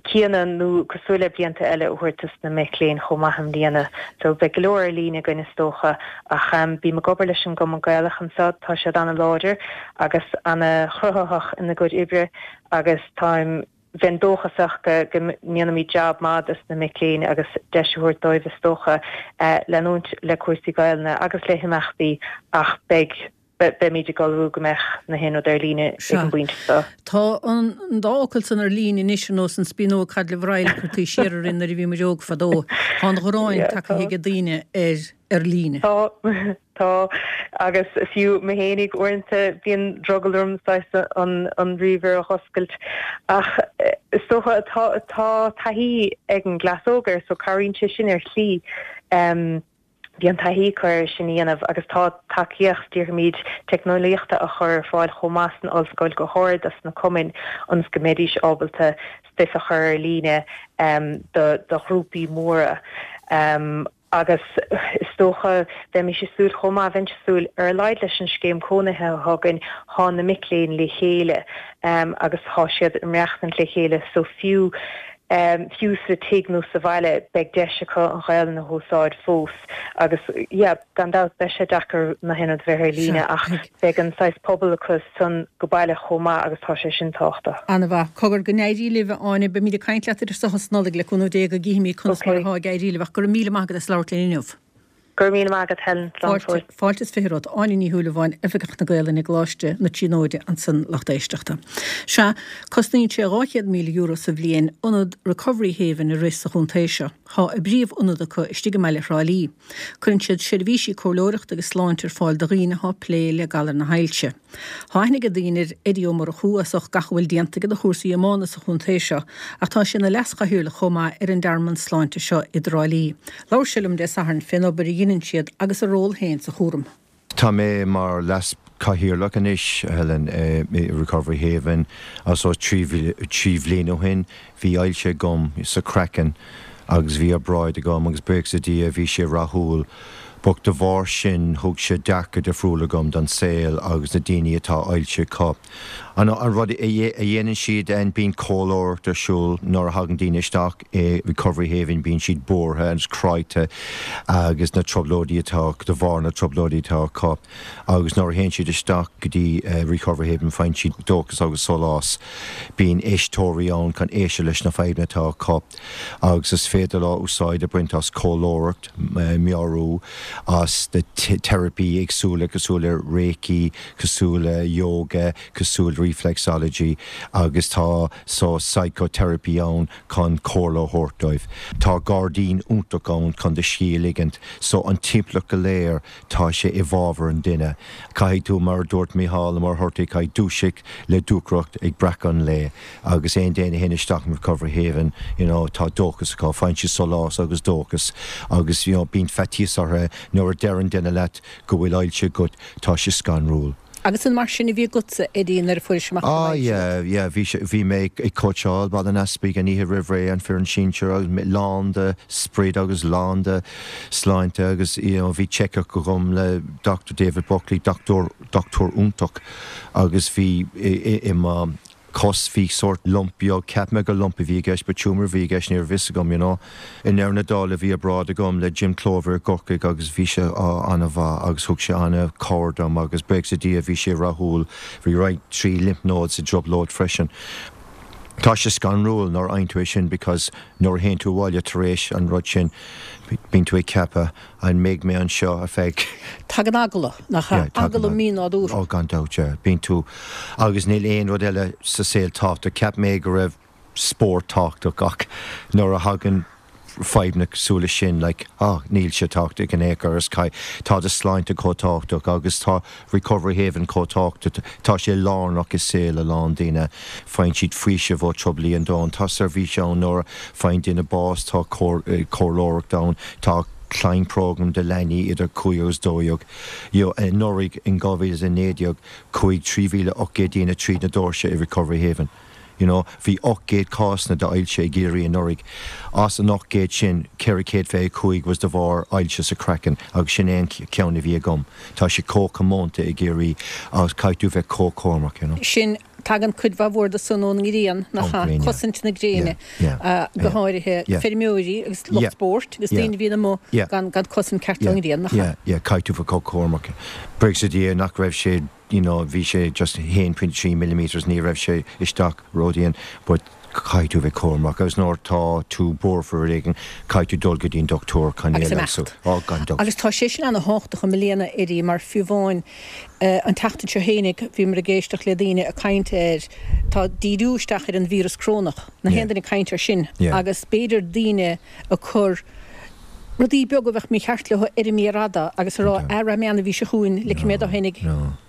céanna nó cosúil le blianta eile a thabhairt dos na mic léinn chomh maith i mbliana. So beidh go leor ar líne againn is dócha ach bím ag obair leis an gCumann Gaelach anseo, tá siad ana-láidir agus ana-chruthaitheach ina gcuid oibre agus táim, bheinn dóchasach go go ndéanfaimid jab maith dos na mic léinn agus deis a thabhairt dóibh is dócha leanúint le cúrsaí Gaelainne agus le himeachtaí ach beidh beimid ag ullmhú go mbeadh na haon rud ar líne ag an bpointe seo. Tá an dá fhocal san ar líne anois ar nós an spíonóg caidrimh araile a chuirtí siar orainn nuair a bhí muid óg fadó. Tá an ghráin tagtha ag daoine ar ar líne. Tá, tá. Agus fiú mé fhéinig uaireanta bíonn drogall orm saghas an an ríomhaire a dh'oscailt. Ach is dócha tá tá taithí ag an gcleas óg air so cabhraíonn sé sin ar shlí. Bíonn taithí acu air sin a dhéanamh agus tá tacaíocht, déarfaimid, teicneolaíochta á chur ar fáil chomh maith san ollscoil go háirid dos na cumainn ionas go mbeidís ábalta stuif a chur ar líne do ghrúpaí móra. Agus is dócha, bheimis ag súil chomh maith, bheinnse ag súil, ar a laghad leis an scéim cónaithe atá againn, thá na mic léinn le chéile agus thá siad ag maireachtaint le chéile so fiú Fiú sa tigh nó sa bhaile, beidh deis acu an Ghaelainn a húsáid fós agus yeah, gan dabht beidh sé deacair na haon rud a bheith ar líne ach beidh an saghas pobal acu san go baile chomh maith agus tá sé sin tábhachtach. Ana-mhaith. Cogar, go n-éirí libh, a Áine. Beimid ag caint leat idir seo is Nollaig, le cúnamh Dé, go gcífimid conas mar atá ag éirí libh ach go raibh míle maith agat as labhairt linn inniu. Go raibh míle maith agat Helen. Slán fóill. Fáilte is fiche romhat. Áine Ní Shúilleabháin, Oifigeach na Gaelainne i gColáiste na Tríonóide ansan lucht éisteachta. Sea, cosnaíonn sé €200,000 sa bhliain ionad Recovery Haven a rith sa chontae seo. Thá a bpríomh-ionad acu istigh i mbaile Thrá Lí. Cuireann siad seirbhísí comhairleoireachta agus sláinte ar fáil do dhaoine athá plé le galar na hailse. Tá aithne ag daoine ar Eddie Ó Murchú as ucht gach a bhfuil déanta aige do chúrsaí iomána sa chontae seo ach tá sé ina leas-chathaoirleach chomh maith ar an dtearmann sláinte seo i dTrá Lí. Labhair sé liom Dé Sathairn fén obair a dheineann siad agus a ról féin sa chúram. Tá mé mar leas-chathaoirleach anois, a Helen, i Recovery Haven. So, trí bhliain ó shin, bhí ailse agam sa chraiceann. Agus bhí obráid agam agus buíochas le Dia bhí sé rathúil. But de bharr sin thug sé dearcadh difriúil agam don saol agus na daoine atá ailse acu. An rud a dhéanann siad bíonn comhairleoireacht ar siúl nuair a thagann daoine isteach i Recovery Haven bíonn siad buartha agus cráite agus na trioblóidí atá de bharr na trioblóidí atá acu agus nuair a théann siad isteach go dtí Recovery Haven faigheann siad dóchas agus sólás. Bíonn éisteoirí ann chun éisteacht leis na fadhbanna atá acu. agus is féidir leo úsáid a bhaint as comhairleoireacht, meabhrú, as na teiripí éagsúla cosúil le Reiki, cosúil le Yoga, cosúil le Reflexology agus tá so psychotherapy ann chun comhairle a thabhairt dóibh. Tá gairdín iontach ann chun do scíth a ligint. So an timpeallacht go léir tá sé i bhfabhar an duine. Caithfidh tú, mar a dúirt Mícheál Ó Muircheartaigh, caithfidh dúiseacht le dúthracht ag breacadh an lae. Agus aon duine a théann isteach in Recovery Haven, you know, tá dóchas acu, faigheann siad sólás agus dóchas agus, you know, bíonn faitíos orthu nuair a deireann duine leat go bhfuil ailse agat, tá sé scanrúil. Agus an mar sin a bhí agatsa, Eddie, nuair a fuairis amach go Ah raibh ailse yeah, agat? yeah, bhí sé, bhí mé ag cóitseáil Baile an Easpaig an oíche roimh ré, an foireann sinsir agus mé lán de sprid agus lán de sláinte agus, you know, bhí check-up agam le Dr David Buckley, dochtúir, dochtúir iontach agus bhí i, i mo chos, bhí sórt lump beag, cheap mé gur lump a bhí i gceist but tumour a bhí i gceist, ní raibh fhios agam, you know. I ndeireadh na dála bhí obráid agam le Jim Clover i gCorcaigh agus bhí sé an-mhaith agus thug sé an-chabhair dom agus buíochas le Dia bhí sé rathúil, bhí roinnt 3 lymph nodes i dtrioblóid freisin. Tá sé scanrúil nuair a fhaigheann tú é sin because nuair a théann tú abhaile tar éis an rud sin bíonn tú ag ceapadh An mbeidh mé anseo ar feadh. Tagann eagla, nach ea? Yeah, tagann Eagla mínádúrtha. Oh, gan dabht, yeah. Bíonn tú, agus níl aon rud eile sa saol tábhachtach. Cheap mé go raibh spórt tábhachtach ach nuair a thagann fadhbanna cosúil leis sin, like, ah, níl sé tábhachtach in aon chor, is caith, tá do shláinte chomh tábhachtach agus tá Recovery Haven chomh tábhachtach, tá sé lárnach i saol a lán daoine. Faigheann siad faoiseamh ó trioblóidí an domhain. Tá seirbhís ann nuair a faigheann duine bás, tá comhairleoireacht ann, tá climb program do leanaí idir 5 agus 12. You know, anuraidh in 2019 chuaigh 3,800 daoine tríd na doirse i Recovery Haven. You know, bhí 800 cásanna d'ailse i gCiarraí anuraidh. As an 800 sin, 425 was de bharr ailse sa chraiceann agus sin é an ceann a bhí agam. Tá sé chomh comónta i gCiarraí agus caithfidh tú bheith chomh cúramach, you know. Sin, tagann cuid mhaith mhór de san ón ngrian, nach ea? Cosaint na gréine, go háirithe feirmeoirí agus lucht spóirt agus daoine a bhíonn amuigh gan cosaint ceart ón ngrian, nach ea? Yeah, yeah, caithfidh tú bheith chomh cúramach. Buíochas le Dia nach raibh sé you know bhí sé just 1.3 millimetres ní raibh sé isteach ródhian but caithfidh tú bheith cúramach agus nuair tá tú buartha faoi rud éigin caithfidh tú dul go dtí an dochtúir chun é Agus a leigheasú. imeacht. Oh gan dabht. Agus tá sé sin ana-thábhachtach i mbliana Eddie mar fiú amháin an tseachtain seo fhéinig bhíomar ag éisteacht le daoine ag caint ar tá díriú isteach ar an víreas corónach, na Yeah. haon duine ag caint ar sin Yeah. agus b'fhéidir daoine ag cur rudaí beaga a bheadh mícheart leo ar an méar fhada agus a rá, ah, rachaidh mé an mhí seo chugainn, ligfidh mé dó fhéinig,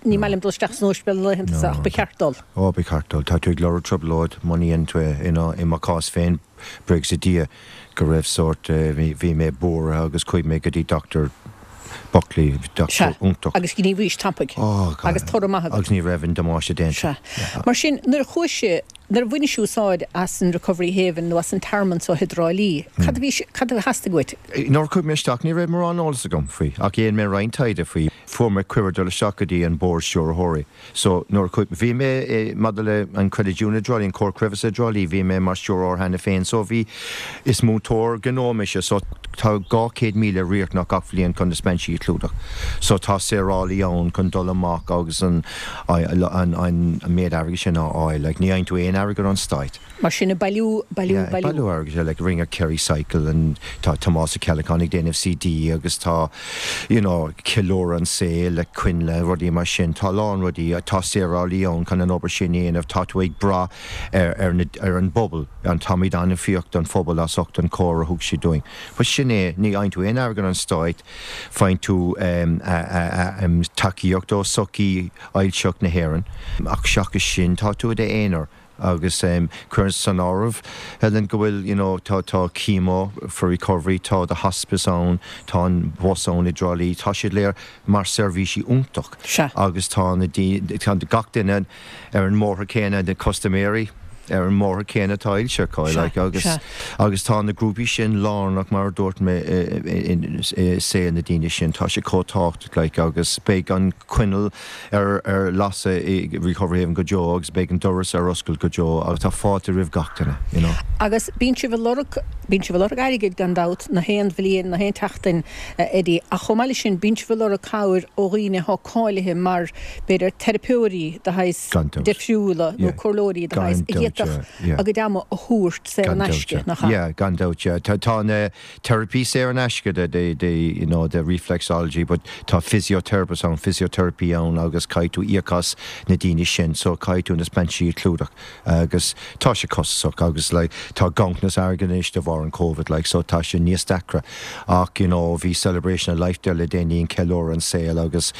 ní maith liom dul isteach san ospidéal na laethanta seo ach ba cheart dul. Ó, ba cheart dul. Tá tú ag lorg trioblóid, muna ndéanann tú é, you know, i mo chás féin, buíochas le Dia go raibh sórt, bhí mé buartha agus chuaigh mé go dtí Dr. Buckley, Sea, dochtúir iontach. agus ghníomhaís tapaidh. Ó, God. Agus toradh maith agat. Agus ní raibh an damáiste déanta. Sea. Mar sin, nuair a chuaigh sé, nuair a bhainis úsáid as an Recovery Haven nó as an tearmann so i dTrá Lí, cad a bhí, cad a theastaigh uait? Nuair a chuaigh mé isteach, ní raibh mórán eolas agam faoi, ach dhéan mé roinnt taighde faoi. Fuair mé cuireadh dul isteach go dtí an Bord Stiúrthóirí. So, nuair a chuaigh, bhí mé i, maidir le an Credit Union i dTrá Lí, an Comhar Creidmheasa i dTrá Lí, bhí mé mar stiúrthóir cheana féin. So bhí, is múinteoir gnó mise, so tá 200,000 riachtanach gach bhliain chun na speinsí a chlúdach. So tá saorálaí ann chun dul amach agus an, an, an méid airgid sin a fháil. Like, ní fhaigheann tú aon airgead ón Stát. Mar sin, ag bailiú, bailiú, Yeah, bailiú. bailiú airgid, yeah, like rinne Kerry Cycle and tá Tomás Ó Ceallacháin ag déanamh CD agus tá, you know, ceiliúradh an saol le coinnle, rudaí mar sin. Tá a lán rudaí, tá saorálaí ann chun an obair sin a dhéanamh, tá tú ag brath ar, ar na, ar an bpobal, and táimid an-bhuíoch don phobal as ucht an chabhair a thug siad dúinn. But sin é, ní fhaigheann tú aon airgead ón Stát, faigheann tú em, em, tacaíocht ó Sochaí Ailseach na hÉireann, ach seachas sin tá tú i d'aonar. Agus cuir san áireamh, Helen, go bhfuil, you know, tá, tá Chemo for Recovery, tá the hospice ann, tá an bus ann i dTrá Lí, tá siad léir mar seirbhísí iontach. Sea. Agus tá na daoine, tá gach duine ar an mbóthar céanna, na custaiméirí. ar an mbóthar céanna atá ailse acu like agus agus tá na grúpaí sin lárnach mar a dúirt mé i saol na daoine sin tá sé chomh tábhachtach like agus beidh an coinneal ar ar lasadh i Recovery Haven go deo agus beidh an doras ar oscailt go deo agus tá fáilte roimh gach duine you know. Agus bíonn sibh ag lorg bíonn sibh ag lorg airgid gan dabht na haon bhliain na haon tseachtain a Eddie ach chomh maith leis sin bíonn sibh ag lorg cabhair ó dhaoine atá cáilithe mar b'fhéidir teiripeoirí de shaghas difriúla nó comhairleoirí de shaghas a d'fhéadfadh a gcuid ama a thabhairt saor in aisce, nach ea? Yeah, gan dabht, yeah. Tá na teiripí saor in aisce, the, the, the, you know, the reflexology, but tá physiotherapist ann, physiotherapy ann agus caithfidh tú íoc as na daoine sin, so caithfidh tú na speansí a chlúdach agus tá sé costasach agus like tá ganntanas airgid anois de bharr an Covid like so tá sé níos deacra ach you know bhí Celebration of Life there le déanaí an ceiliúradh an saol agus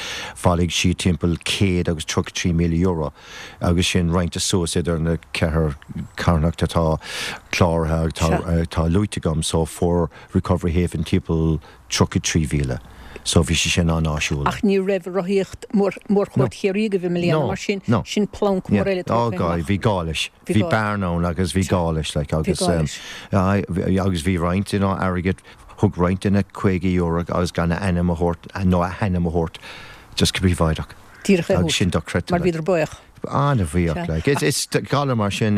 bhailigh siad timpeall €133,000 agus sin roinnte suas idir na ceithre carthanacht atá cláraithe agus atá atá luaite agam so fuair Recovery Haven timpeall 33,000. So bhí sé sin an-áisiúil. Ach ní raibh rothaíocht Mhórchuairt Chiarraí agaibh i mbliana, mar sin, sin planc mór eile tógtha amach. Bhí gá leis. Bhí bearna ann agus bhí gá leis like agus agus bhí roinnt you know airgead, thug roinnt duine €50 agus gan a ainm a thabhairt nó a hainm a thabhairt just go príobháideach. Díreach é a thabhairt. Mar bhíodar buíoch. An-bhuíoch like. It's galar mar sin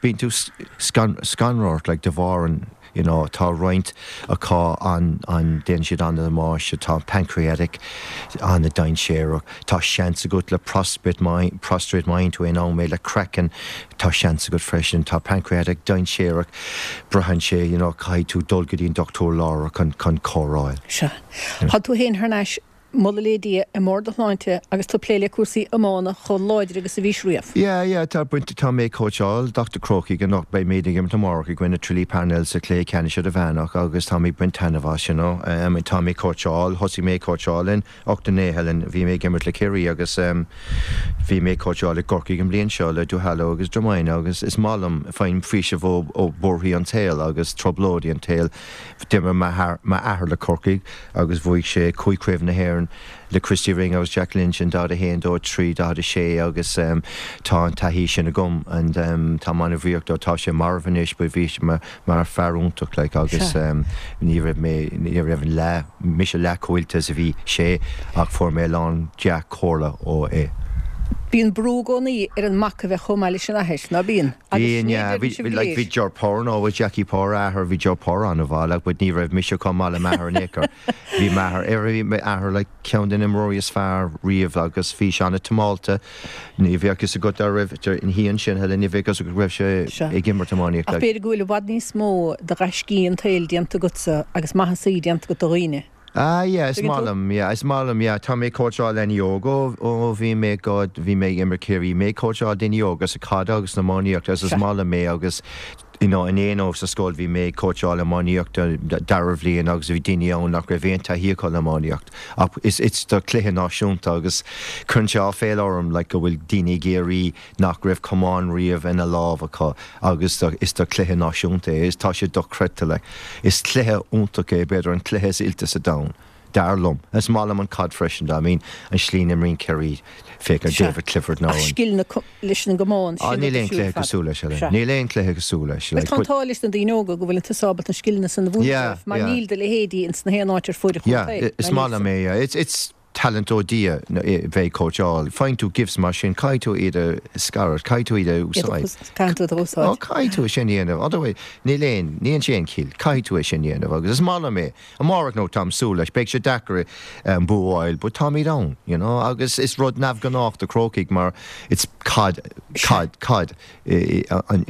bíonn tú scanraithe ort like de bharr an you know tá roinnt acu an an déanann siad an-damáiste, tá pancreatic an-dainséarach, tá seans agat le prostrate prostrate má fhaigheann tú in am é le craiceann, tá seans agat freisin, tá pancreatic dainséarach, braitheann sé you know caithfidh tú dul go dtí an dochtúir láithreach chun chun cóireáil. Sea. Tá tú féin thar n-ais Moladh le Dia i mbarr do shláinte agus tú ag plé le cúrsaí iomána chomh láidir agus a bhís riamh. Yeah, yeah, tá baint, tá mé ag cóitseáil na Crócaigh anocht, beidh muid ag imirt amárach i gcoinne Tralee Parnell sa chluiche ceannais idirmheánach agus tá mé ag baint taitneamh as, you know. Tá mé ag cóitseáil, thosaigh mé ag cóitseáil in 89, Helen, bhí mé ag imirt le Ciarraí agus bhí mé ag cóitseáil i gCorcaigh an bhliain seo le Duhallow agus Dromina agus is maith liom, faighim faoiseamh ó, ó buarthaí an tsaoil agus trioblóidí an tsaoil. D'imir m'athair le Corcaigh agus bhuaigh sé cúig Chraobh na hÉireann le Christy Ring agus Jack Lynch in 41, 2, 3, 46 agus tá an taithí sin agam and táim an-bhuíoch dó. Tá sé marbh anois but bhí sé mar fear iontach like agus ní raibh mé, ní raibh an leath, mise leath chomh oilte is a bhí sé ach fuair mé a lán dea-chomhairle ó é. Bíonn brú i gcónaí ar an mac a bheith chomh maith leis an athair, ná bíonn? Agus Bhí, yeah, bhí, bhí, like, bhí Ger Power, no, bhí Jackie Power a athair, bhí Ger Power an-mhaith, like, but ní raibh mise chomh maith le m'athair in aon chor. Bhí m'athair, ar, bhí m'athair, like, ceann de na imreoirí is fearr riamh agus bhí sé an-tiomanta. Ní bheadh fhios agat dá raibh, ina dhiaidh sin, Helen, ní bheadh fhios agat go raibh sé ag imirt iománaíocht, Ach like. b'fhéidir go bhfuil i bhfad níos mó de ghaiscí an tsaoil déanta agatsa agus maitheasaí déanta agat do dhaoine. Ah yeah, is maith liom, yeah, is maith liom, yeah. Tá mé ag cóitseáil leanaí óga ó bhí mé, God, bhí mé ag imirt Ciarraí, mé ag cóitseáil daoine óga sa caid agus san iománaíocht agus is maith liom é agus you know in aon sa scoil bhí mé ag cóitseáil iománaíocht dara bhliain agus bhí daoine ann nach raibh aon taithí acu le iománaíocht ach is it's do cluiche náisiúnta agus cuireann sé áiféala orm like go bhfuil daoine i gCiarraí nach raibh camán riamh ina lámh acu agus is do chluiche náisiúnta é. Is tá sé dochreidte like. Is cluiche iontach é, b'fhéidir an cluiche is oilte sa domhan, dar liom. Is maith liom an caid freisin, I mean an slí a n-imríonn Ciarraí, féach ar David Clifford nó an. Ach scil na leis an gcamán, sin Níl aon chluiche cosúil leis, Helen. Níl aon chluiche cosúil leis. Bhuel tá an t-ádh leis na daoine óga go bhfuil tusa ábalta na scileanna san a mhúineadh dóibh mar níl do leithéidí ins na haon áit ar fuaid an chontae. Yeah, is maith liom é, yeah. It's, it's, talent ó Dhia bheith ag cóitseáil. Faigheann tú gifts mar sin, caithfidh tú iad a scaradh, caithfidh tú iad a úsáid. Caithfidh tú iad a úsáid. Ó, caithfidh tú é sin a dhéanamh. Otherwise, níl aon, níl sé aon chiall. Caithfidh tú é sin a dhéanamh agus is maith liom é. Amárach nó táim súil leis, beidh sé deacair an bua a fháil but táimid ann, you know, agus is rud neamhghnách do Chrócaigh mar it's caid, caid, caid i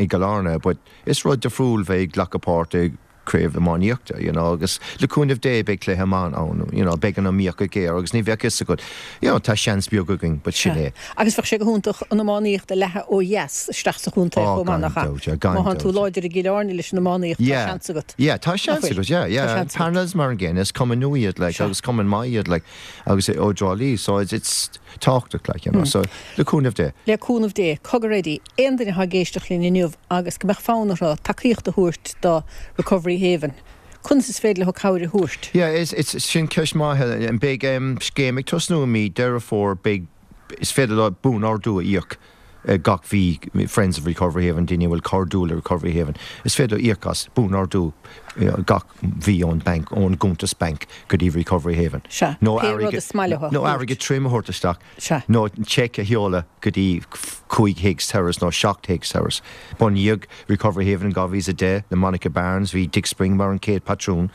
gCill Airne but is rud difriúil bheith ag glacadh páirt i craobh iománaíochta, you know, agus le cúnamh Dé beidh cluiche maith ann, you know, beidh an iomaíocht géar agus ní bheadh fhios agat, you know, tá seans beag againn, but sin é. Agus bheadh sé go hiontach an iománaíocht a leathadh ó dheas isteach sa chontae chomh maith, nach ea? Má thánn tú láidir i gCill Airne leis an iománaíocht, tá seans agat. Yeah, tá seans agat, yeah, yeah. Parnells mar an gcéanna, is cumann nua iad, like, agus cumann maith iad, like, agus ó Dhrá Lí, so it's, it's tábhachtach, like, you know, so le cúnamh Dé. Le cúnamh Dé. Cogar Eddie, aon duine atá ag éisteacht linn inniu agus go mbeadh fonn orthu tacaíocht a thabhairt do Recovery Haven, conas is féidir leo cabhair a thabhairt? Yeah, is, it's, sin ceist maith, Helen. Beidh scéim ag tosnú i mí Deireadh Fómhair, beidh, is féidir leo buan-ordú a íoc. gach mhí, Friends of Recovery Haven, daoine a bhfuil cairdiúil le Recovery Haven, is féidir leo íoc as, buan-ordú gach mhí ón banc, ón gcuntas bainc go dtí Recovery Haven. Sea, Nó pé rud is maith leo a nó thabhairt. airgead tirim a thabhairt isteach. Sea. Nó seic a sheoladh go dtí 5 Higgs Terrace nó 7 Higgs Terrace. Bunaíodh Recovery Haven in 2010 le Monica Barnes, bhí Dick Spring mar an chéad patrún.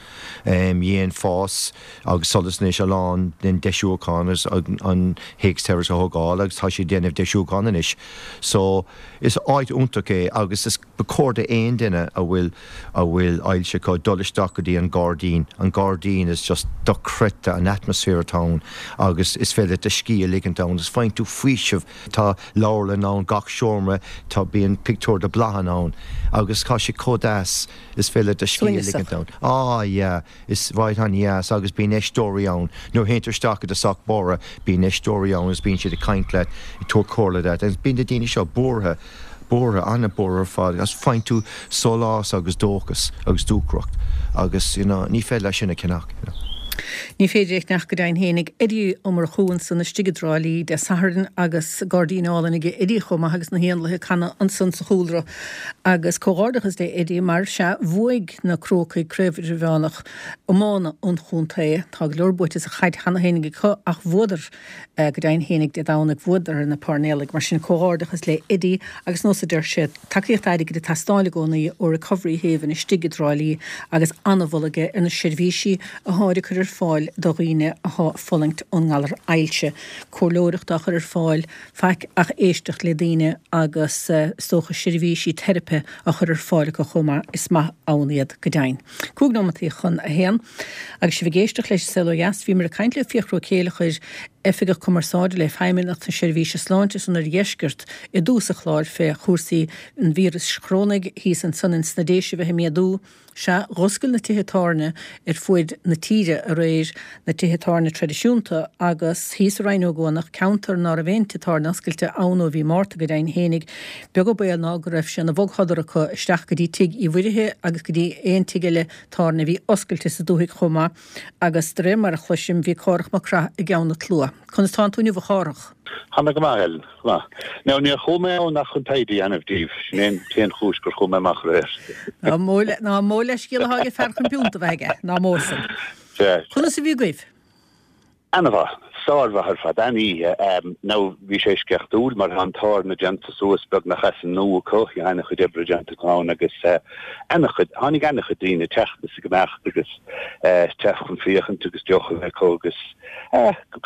Dhein Fás agus Solas anois a lán den deisiúchán agus an Higgs Terrace a thógáil agus tá siad ag déanamh deisiúchán anois. So, is áit iontach é agus is ba chóir d'aon duine a bhfuil a bhfuil ailse acu dul isteach go dtí an gairdín. An gairdín is just dochreidte an atmaisféar atá ann agus is féidir leat do scíth a ligint ann agus faigheann tú faoiseamh. Tá leabharlann ann, gach seomra, tá bíonn pictiúr de bláthanna ann agus tá sé chomh deas, is féidir leat do scíth a ligint ann. Ah yeah. Is áit an-dheas agus bíonn aisteoirí ann. Nuair a théann tú isteach i dtosach báire, bíonn aisteoirí ann agus bíonn siad ag caint leat, ag tabhairt comhairle duit. Agus bíonn na daoine seo buartha, buartha, an-buartha ar fad agus faigheann tú sólás agus dóchas agus dúthracht agus, you know, ní féidir leat sin a cheannach, you know. Ní féidir é a cheannach go deimhin fhéinig. Eddie Ó Murchú ansan istigh i dTrá Lí Dé Sathairn agus gairdín álainn aige Eddie chomh maith agus na héanlaithe ag canadh ansan sa chúlra. Agus comhghairdeachas le Eddie mar, sea, bhuaigh na Crócaigh Craobh Idirmheánach Iomána an Chontae. Tá go leor buaite sa chaid cheana féinig acu ach bhuadar, go deimhin fhéinig Dé Domhnaigh, bhuadar ar na Pairnéalaigh. Mar sin, comhghairdeachas le Eddie agus nós a deir sé, tacaíocht airgid ag teastáil i gcónaí ó Recovery Haven istigh i dTrá Lí agus an-mholadh aige ar na seirbhísí athá ag cur ar fáil do dhaoine athá ag fulaingt ón ngalar ailse. Comhairleoireacht á chur ar fáil, faic ach éisteacht le daoine agus is dócha seirbhísí teiripe á chur ar fáil acu chomh maith, is maith ann iad go deimhin. 5 nóimeataí chun a haon. Agus sibh ag éisteacht leis An Saol Ó Dheas, bhíomar ag caint le Fiachra Ó Céileachair, Oifigeach Cumarsáide le Feidhmeannacht na Seirbhíse Sláinte san Oirdheisceart i dtús an chláir fé chúrsaí an víris chorónaigh thíos ansan ins na Déise a bheith ag méadú. Sea, dh'oscail na tithe tábhairne ar fuaid na tíre aréir, na tithe tábhairne traidisiúnta, agus thíos i Rinn Ó gCuanach, ceantar ná raibh aon tigh tábhairne oscailte ann ó mhí Márta go deimhin fhéinig, beag an baol ná go raibh sé ina bhogshodar acu isteach go dtí tigh Uí Mhuirithe agus go dtí aon tigh eile tábhairne a bhí oscailte sa dúthaigh chomh maith, agus de réir mar a chloisim, bhí Cárthach Mac Craith i gceann an tslua. Conas tánn tú inniu, a Chárthach? Tá mé go maith, Ellen. Go maith. Now, níor chuaigh mé ann ach chun taighde a dhéanamh díobh. Sin é an t-aon chúis gur chuaigh mé amach aréir. Ná mó, ná mó leithscéal atá ag fear chun piúnta a bheith aige, ná mó san. Sea. Conas a bhí agaibh? Ana-mhaith. Sármhaith ar fad. An-oíche. Now, bhí sé eisceachtúil mar tá an tábhairne déanta suas beagnach as an nua acu. Bhí ana-chuid oibre déanta acu ann agus ana-chuid, tháinig ana-chuid daoine ag teacht is ag imeacht agus teacht chun féachaint agus deoch a bheith acu agus,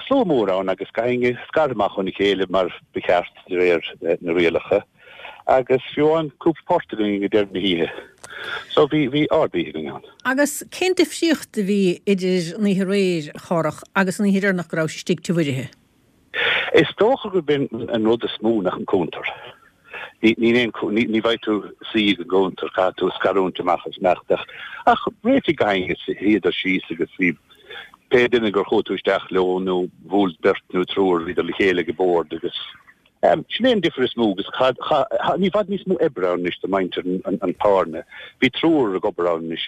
Slua mór ann agus gach éinne scartha amach óna chéile mar ba cheart de réir na rialacha agus fiú amháin cúpla port againn ag deireadh na hoíche. So bhí, bhí ard-oíche againn ann. Agus cén difríocht a bhí idir an oíche aréir, a Chárthach, agus an oíche dheireanach go rabhais istigh Tigh Mhuirithe? Is dócha gurb in an rud is mó nach an cuntar. Níl aon, ní bheidh tú suí ag an gcuntar, caithfidh tú scarúint amach is imeacht ach, ach réitigh gach éinne, shuíodar síos agus bhí pé duine gur chuaigh tú isteach leo nó bhuail beirt nó triúr, bhíodar le chéile ag an bord agus sin é an difear is mó agus ní i bhfad níos mó oibre ann anois do mhuintir an tábhairne. Bhí triúr ag obair ann anois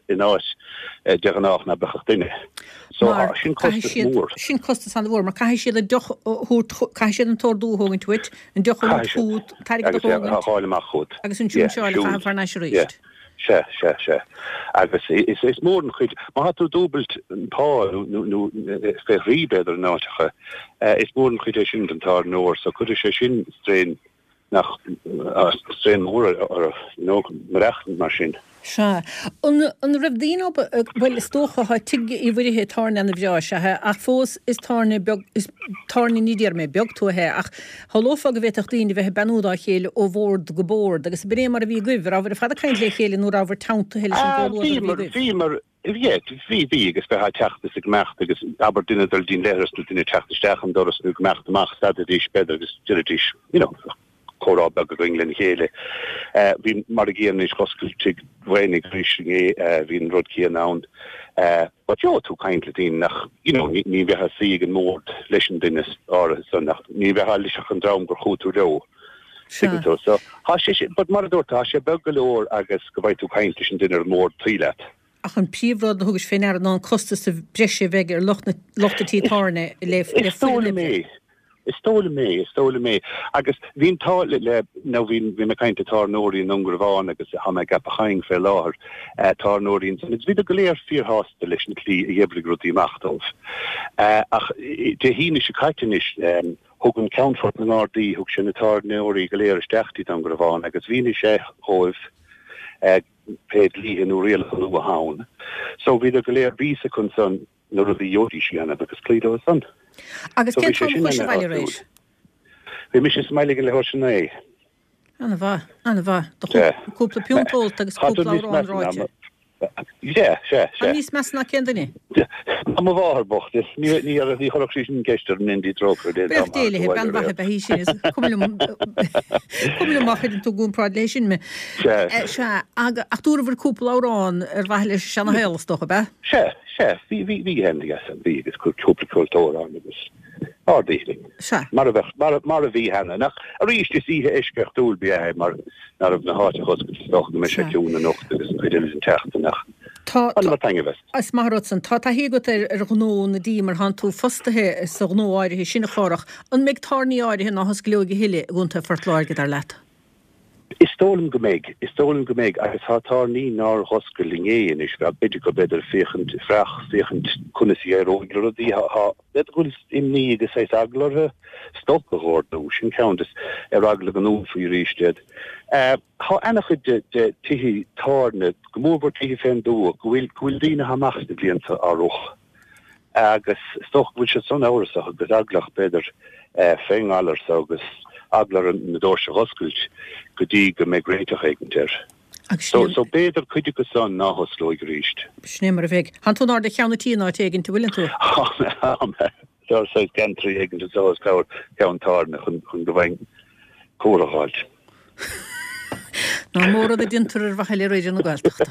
in áit de ghnách ná beadh ach duine. So Mar sin caithfidh costas siad, mór. sin costas an-mhór, mar caithfidh siad an deoch a thabhairt, caithfidh siad an t-ordú a thógaint uait, an deoch a thabhairt Caithfidh siad. chugat, an t-airgead a Agus é a thógaint fháil amach chugat. agus an Yeah, siúnseáil a siúl. chaitheamh thar n-ais Yeah. arís. Sea, sea, sea. Agus is, is mór an chuid, má tá tú dúbailt an pá nó, nó, nó fé thrí b'fhéidir in áiteacha, is mór an chuid é sin don tábhairneoir, so cuirfidh sé sin strain nach strain mór orthu, you know, maireachtaint mar sin. Sea. An, an raibh daoine ábalta, bhuel, is dócha, tá Tigh Uí Mhuirithe, tábhairne ana-bhreá, sea, ach fós is tábhairne beag, is tábhairne, ní déarfaidh mé beag tuaithe é, ach shamhlófá go bhféadfadh daoine a bheith ag beannú dá chéile ó bhord go bord, agus ab in é mar a bhí agaibh, an rabhabhair ar fad ag caint le chéile nó rabhabhair teanntaithe leis an gcomhluadar a bhí Bhíomar, agaibh? bhíomar, Yeah, bhí, bhí, agus bheifeá ag teacht is ag imeacht agus abair duine ag dul dtí'n leithreas nó duine ag teacht isteach an doras nó ag imeacht amach, stadaidís b'fhéidir agus deiridís, you know, comhrá beag againn lena chéile. Eh, bhí mar a gcéanna anois dh'oscail Tigh Mhaonaigh arís inné, eh, bhí an rud céanna ann. Eh, but gheobhaidh tú caint le daoine nach, you know, ní, ní bheifeá ag suí ag an mbord leis an duine áirithe san ach ní bheifeá leis ach an dream gur chuaigh tú leo. Sea. Tuigeann tú. So, tá sé sin, but mar a dúirt tú, tá sé beag go leor agus go bhfaighidh tú caint leis an duine ar an mbord taobh leat. Ach an príomhrud a thugais fé ndeara ná an costas breise a bheidh ar lucht na, lucht an tí tábhairne le, le Is dóigh foireann liom oibre. é. Is dóigh liom é, is dóigh liom é. Agus bhí an t-ádh le, le, nó bhí, bhí mé ag caint le tábhairneoirí i nDún Garbhán agus tá mé i gCeapach Eidhinn fé láthair, tábhairneoirí ansan, agus bhíodar go léir fíorshásta leis an tslí a d'oibrigh rudaí amach dóibh. Ach Dé hAoine seo caite anois, thug an Ceannfort na nGardaí, thug sé na tábhairneoirí go léir isteach dtí Dún Garbhán agus mhínigh sé dhóibh pé dlíthe nó rialacha nua atá ann. So bhíodar go léir, bhí fhios acu ansan, na rudaí a gheobhaidís a dhéanamh agus cloí leo san. Agus cén t-am a chuaigh sibh abhaile aréir? Bhí mise sa mbaile ag an leathuair tar éis a naoi. Ana-mhaith, ana-mhaith. Do chúpla piúnt ólta agus cúpla amhrán ráite. Sea, sea, sea. An níos measa ná cén duine? Ná mo mháthair bocht. Ní ní chuirfeadh sí sin ceist orm i ndiaidh trócaire Dé dá Buíoch Dé léi, bean mhaith ab ea í sin. Is cuma liom, cuma liom má chuireann tú i gcomparáid léi sin mé. Sea. Sea, ach dúrabhair cúpla amhrán ar mhaithe leis an seana-shaol is dócha, ab ea? Sea. Sea, bhí, bhí, bhí féin yes, bhí agus cúpla ceoltóir ann agus ard-oíche linn. Sea. Mar a bheadh, mar a, mar a bhí cheana. Nach, arís is oíche eisceachtúil ba ea é mar nach raibh na háiteacha oscailte is dócha go mbeidh sé ciúin anocht agus an chuid eile den tseachtain ach Tá, tá, bhaineamar taitneamh as. is maith an rud san. Tá taithí agat ar, ar ghnó na dí mar thánn tú fostaithe sa ghnó áirithe sin a Chárthach. An mbeidh tábhairní áirithe ná hosclóidh a thuilleadh i gContae Phort Láirge, dar leat? Is dóigh liom go mbeidh. Is dóigh liom go mbeidh agus tá tábhairní nár dh'oscail inné anois, b'fhéidir go b'fhéidir féachaint, freach, féachaint conas a éireoidh le rudaí. Tá, b'fhéidir go bhfuil imní agus saghas eagla orthu stoc a dh'ordú, sin ceann de, ar eagla go ndúnfaí arís iad. Tá ana-chuid de, de tithe tábhairne, go mórmhór tithe fén dtuath, go bhfuil, go bhfuil daoine atá amach sna blianta á rith. Agus is dócha go bhfuil siad san amhrasach agus eaglach, b'fhéidir, fén ngalar so agus eagla orthu na doirse a dh'oscailt go dtí go mbeidh réiteach éigint air. Agus So, sin é, so b'fhéidir cuid acu san ná hosclóidh arís. sin é mar a bheidh. Thánn tú in airde cheann an tí in áit éigint, an bhfuileann tú? Thá mé, thá mé. Tá saghas geantraí éigint anseo os comhair ceann tábhairne chun, chun go bhfaighinn comhartha a dh'fháilt. Nach mó rud a déantar ar mhaithe le Raidió na Gaeltachta.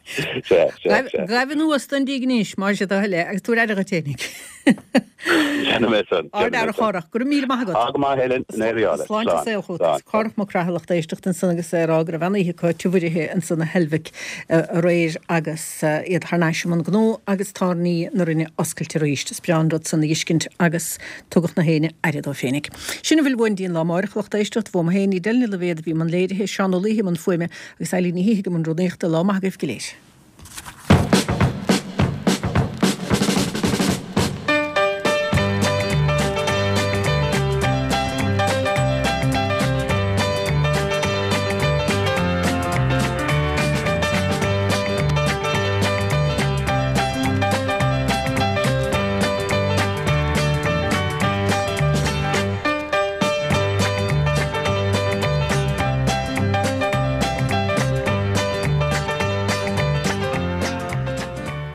Sea, sea, sea. Gabh anuas don díg anois, más é do thoil é, agus tabhair aire dhuit fhéinig. Déanfaidh mé san, Ard déanfaidh fhear mé a san. Chárthach, go raibh míle maith agat. Á, go maith, Helen, go n-éirí leat. Sláinte Slán, saoil chugat. slán. Cárthach Mac Craith a lucht éisteachta ansan agus é ag rá go raibh an-oíche acu i Tigh Mhuirithe ansan i Heilbhic aréir agus iad thar n-ais i mbun gnó agus tábhairní na Rinne oscailte arís. Is breá an rud san a dh'fheiscint agus Tugadh na héinne aire dóibh féinig. Sin a bhfuil uainn dtí'n lá amáireach, a lucht éisteachta, uaim féin, Edel Ní Loibhéad a bhí i mbun léirithe, Seán Ó Laoithe i mbun fuaime agus Eilín Ní Shíthigh i mbun rúnaíochta. Lá maith agaibh go léir.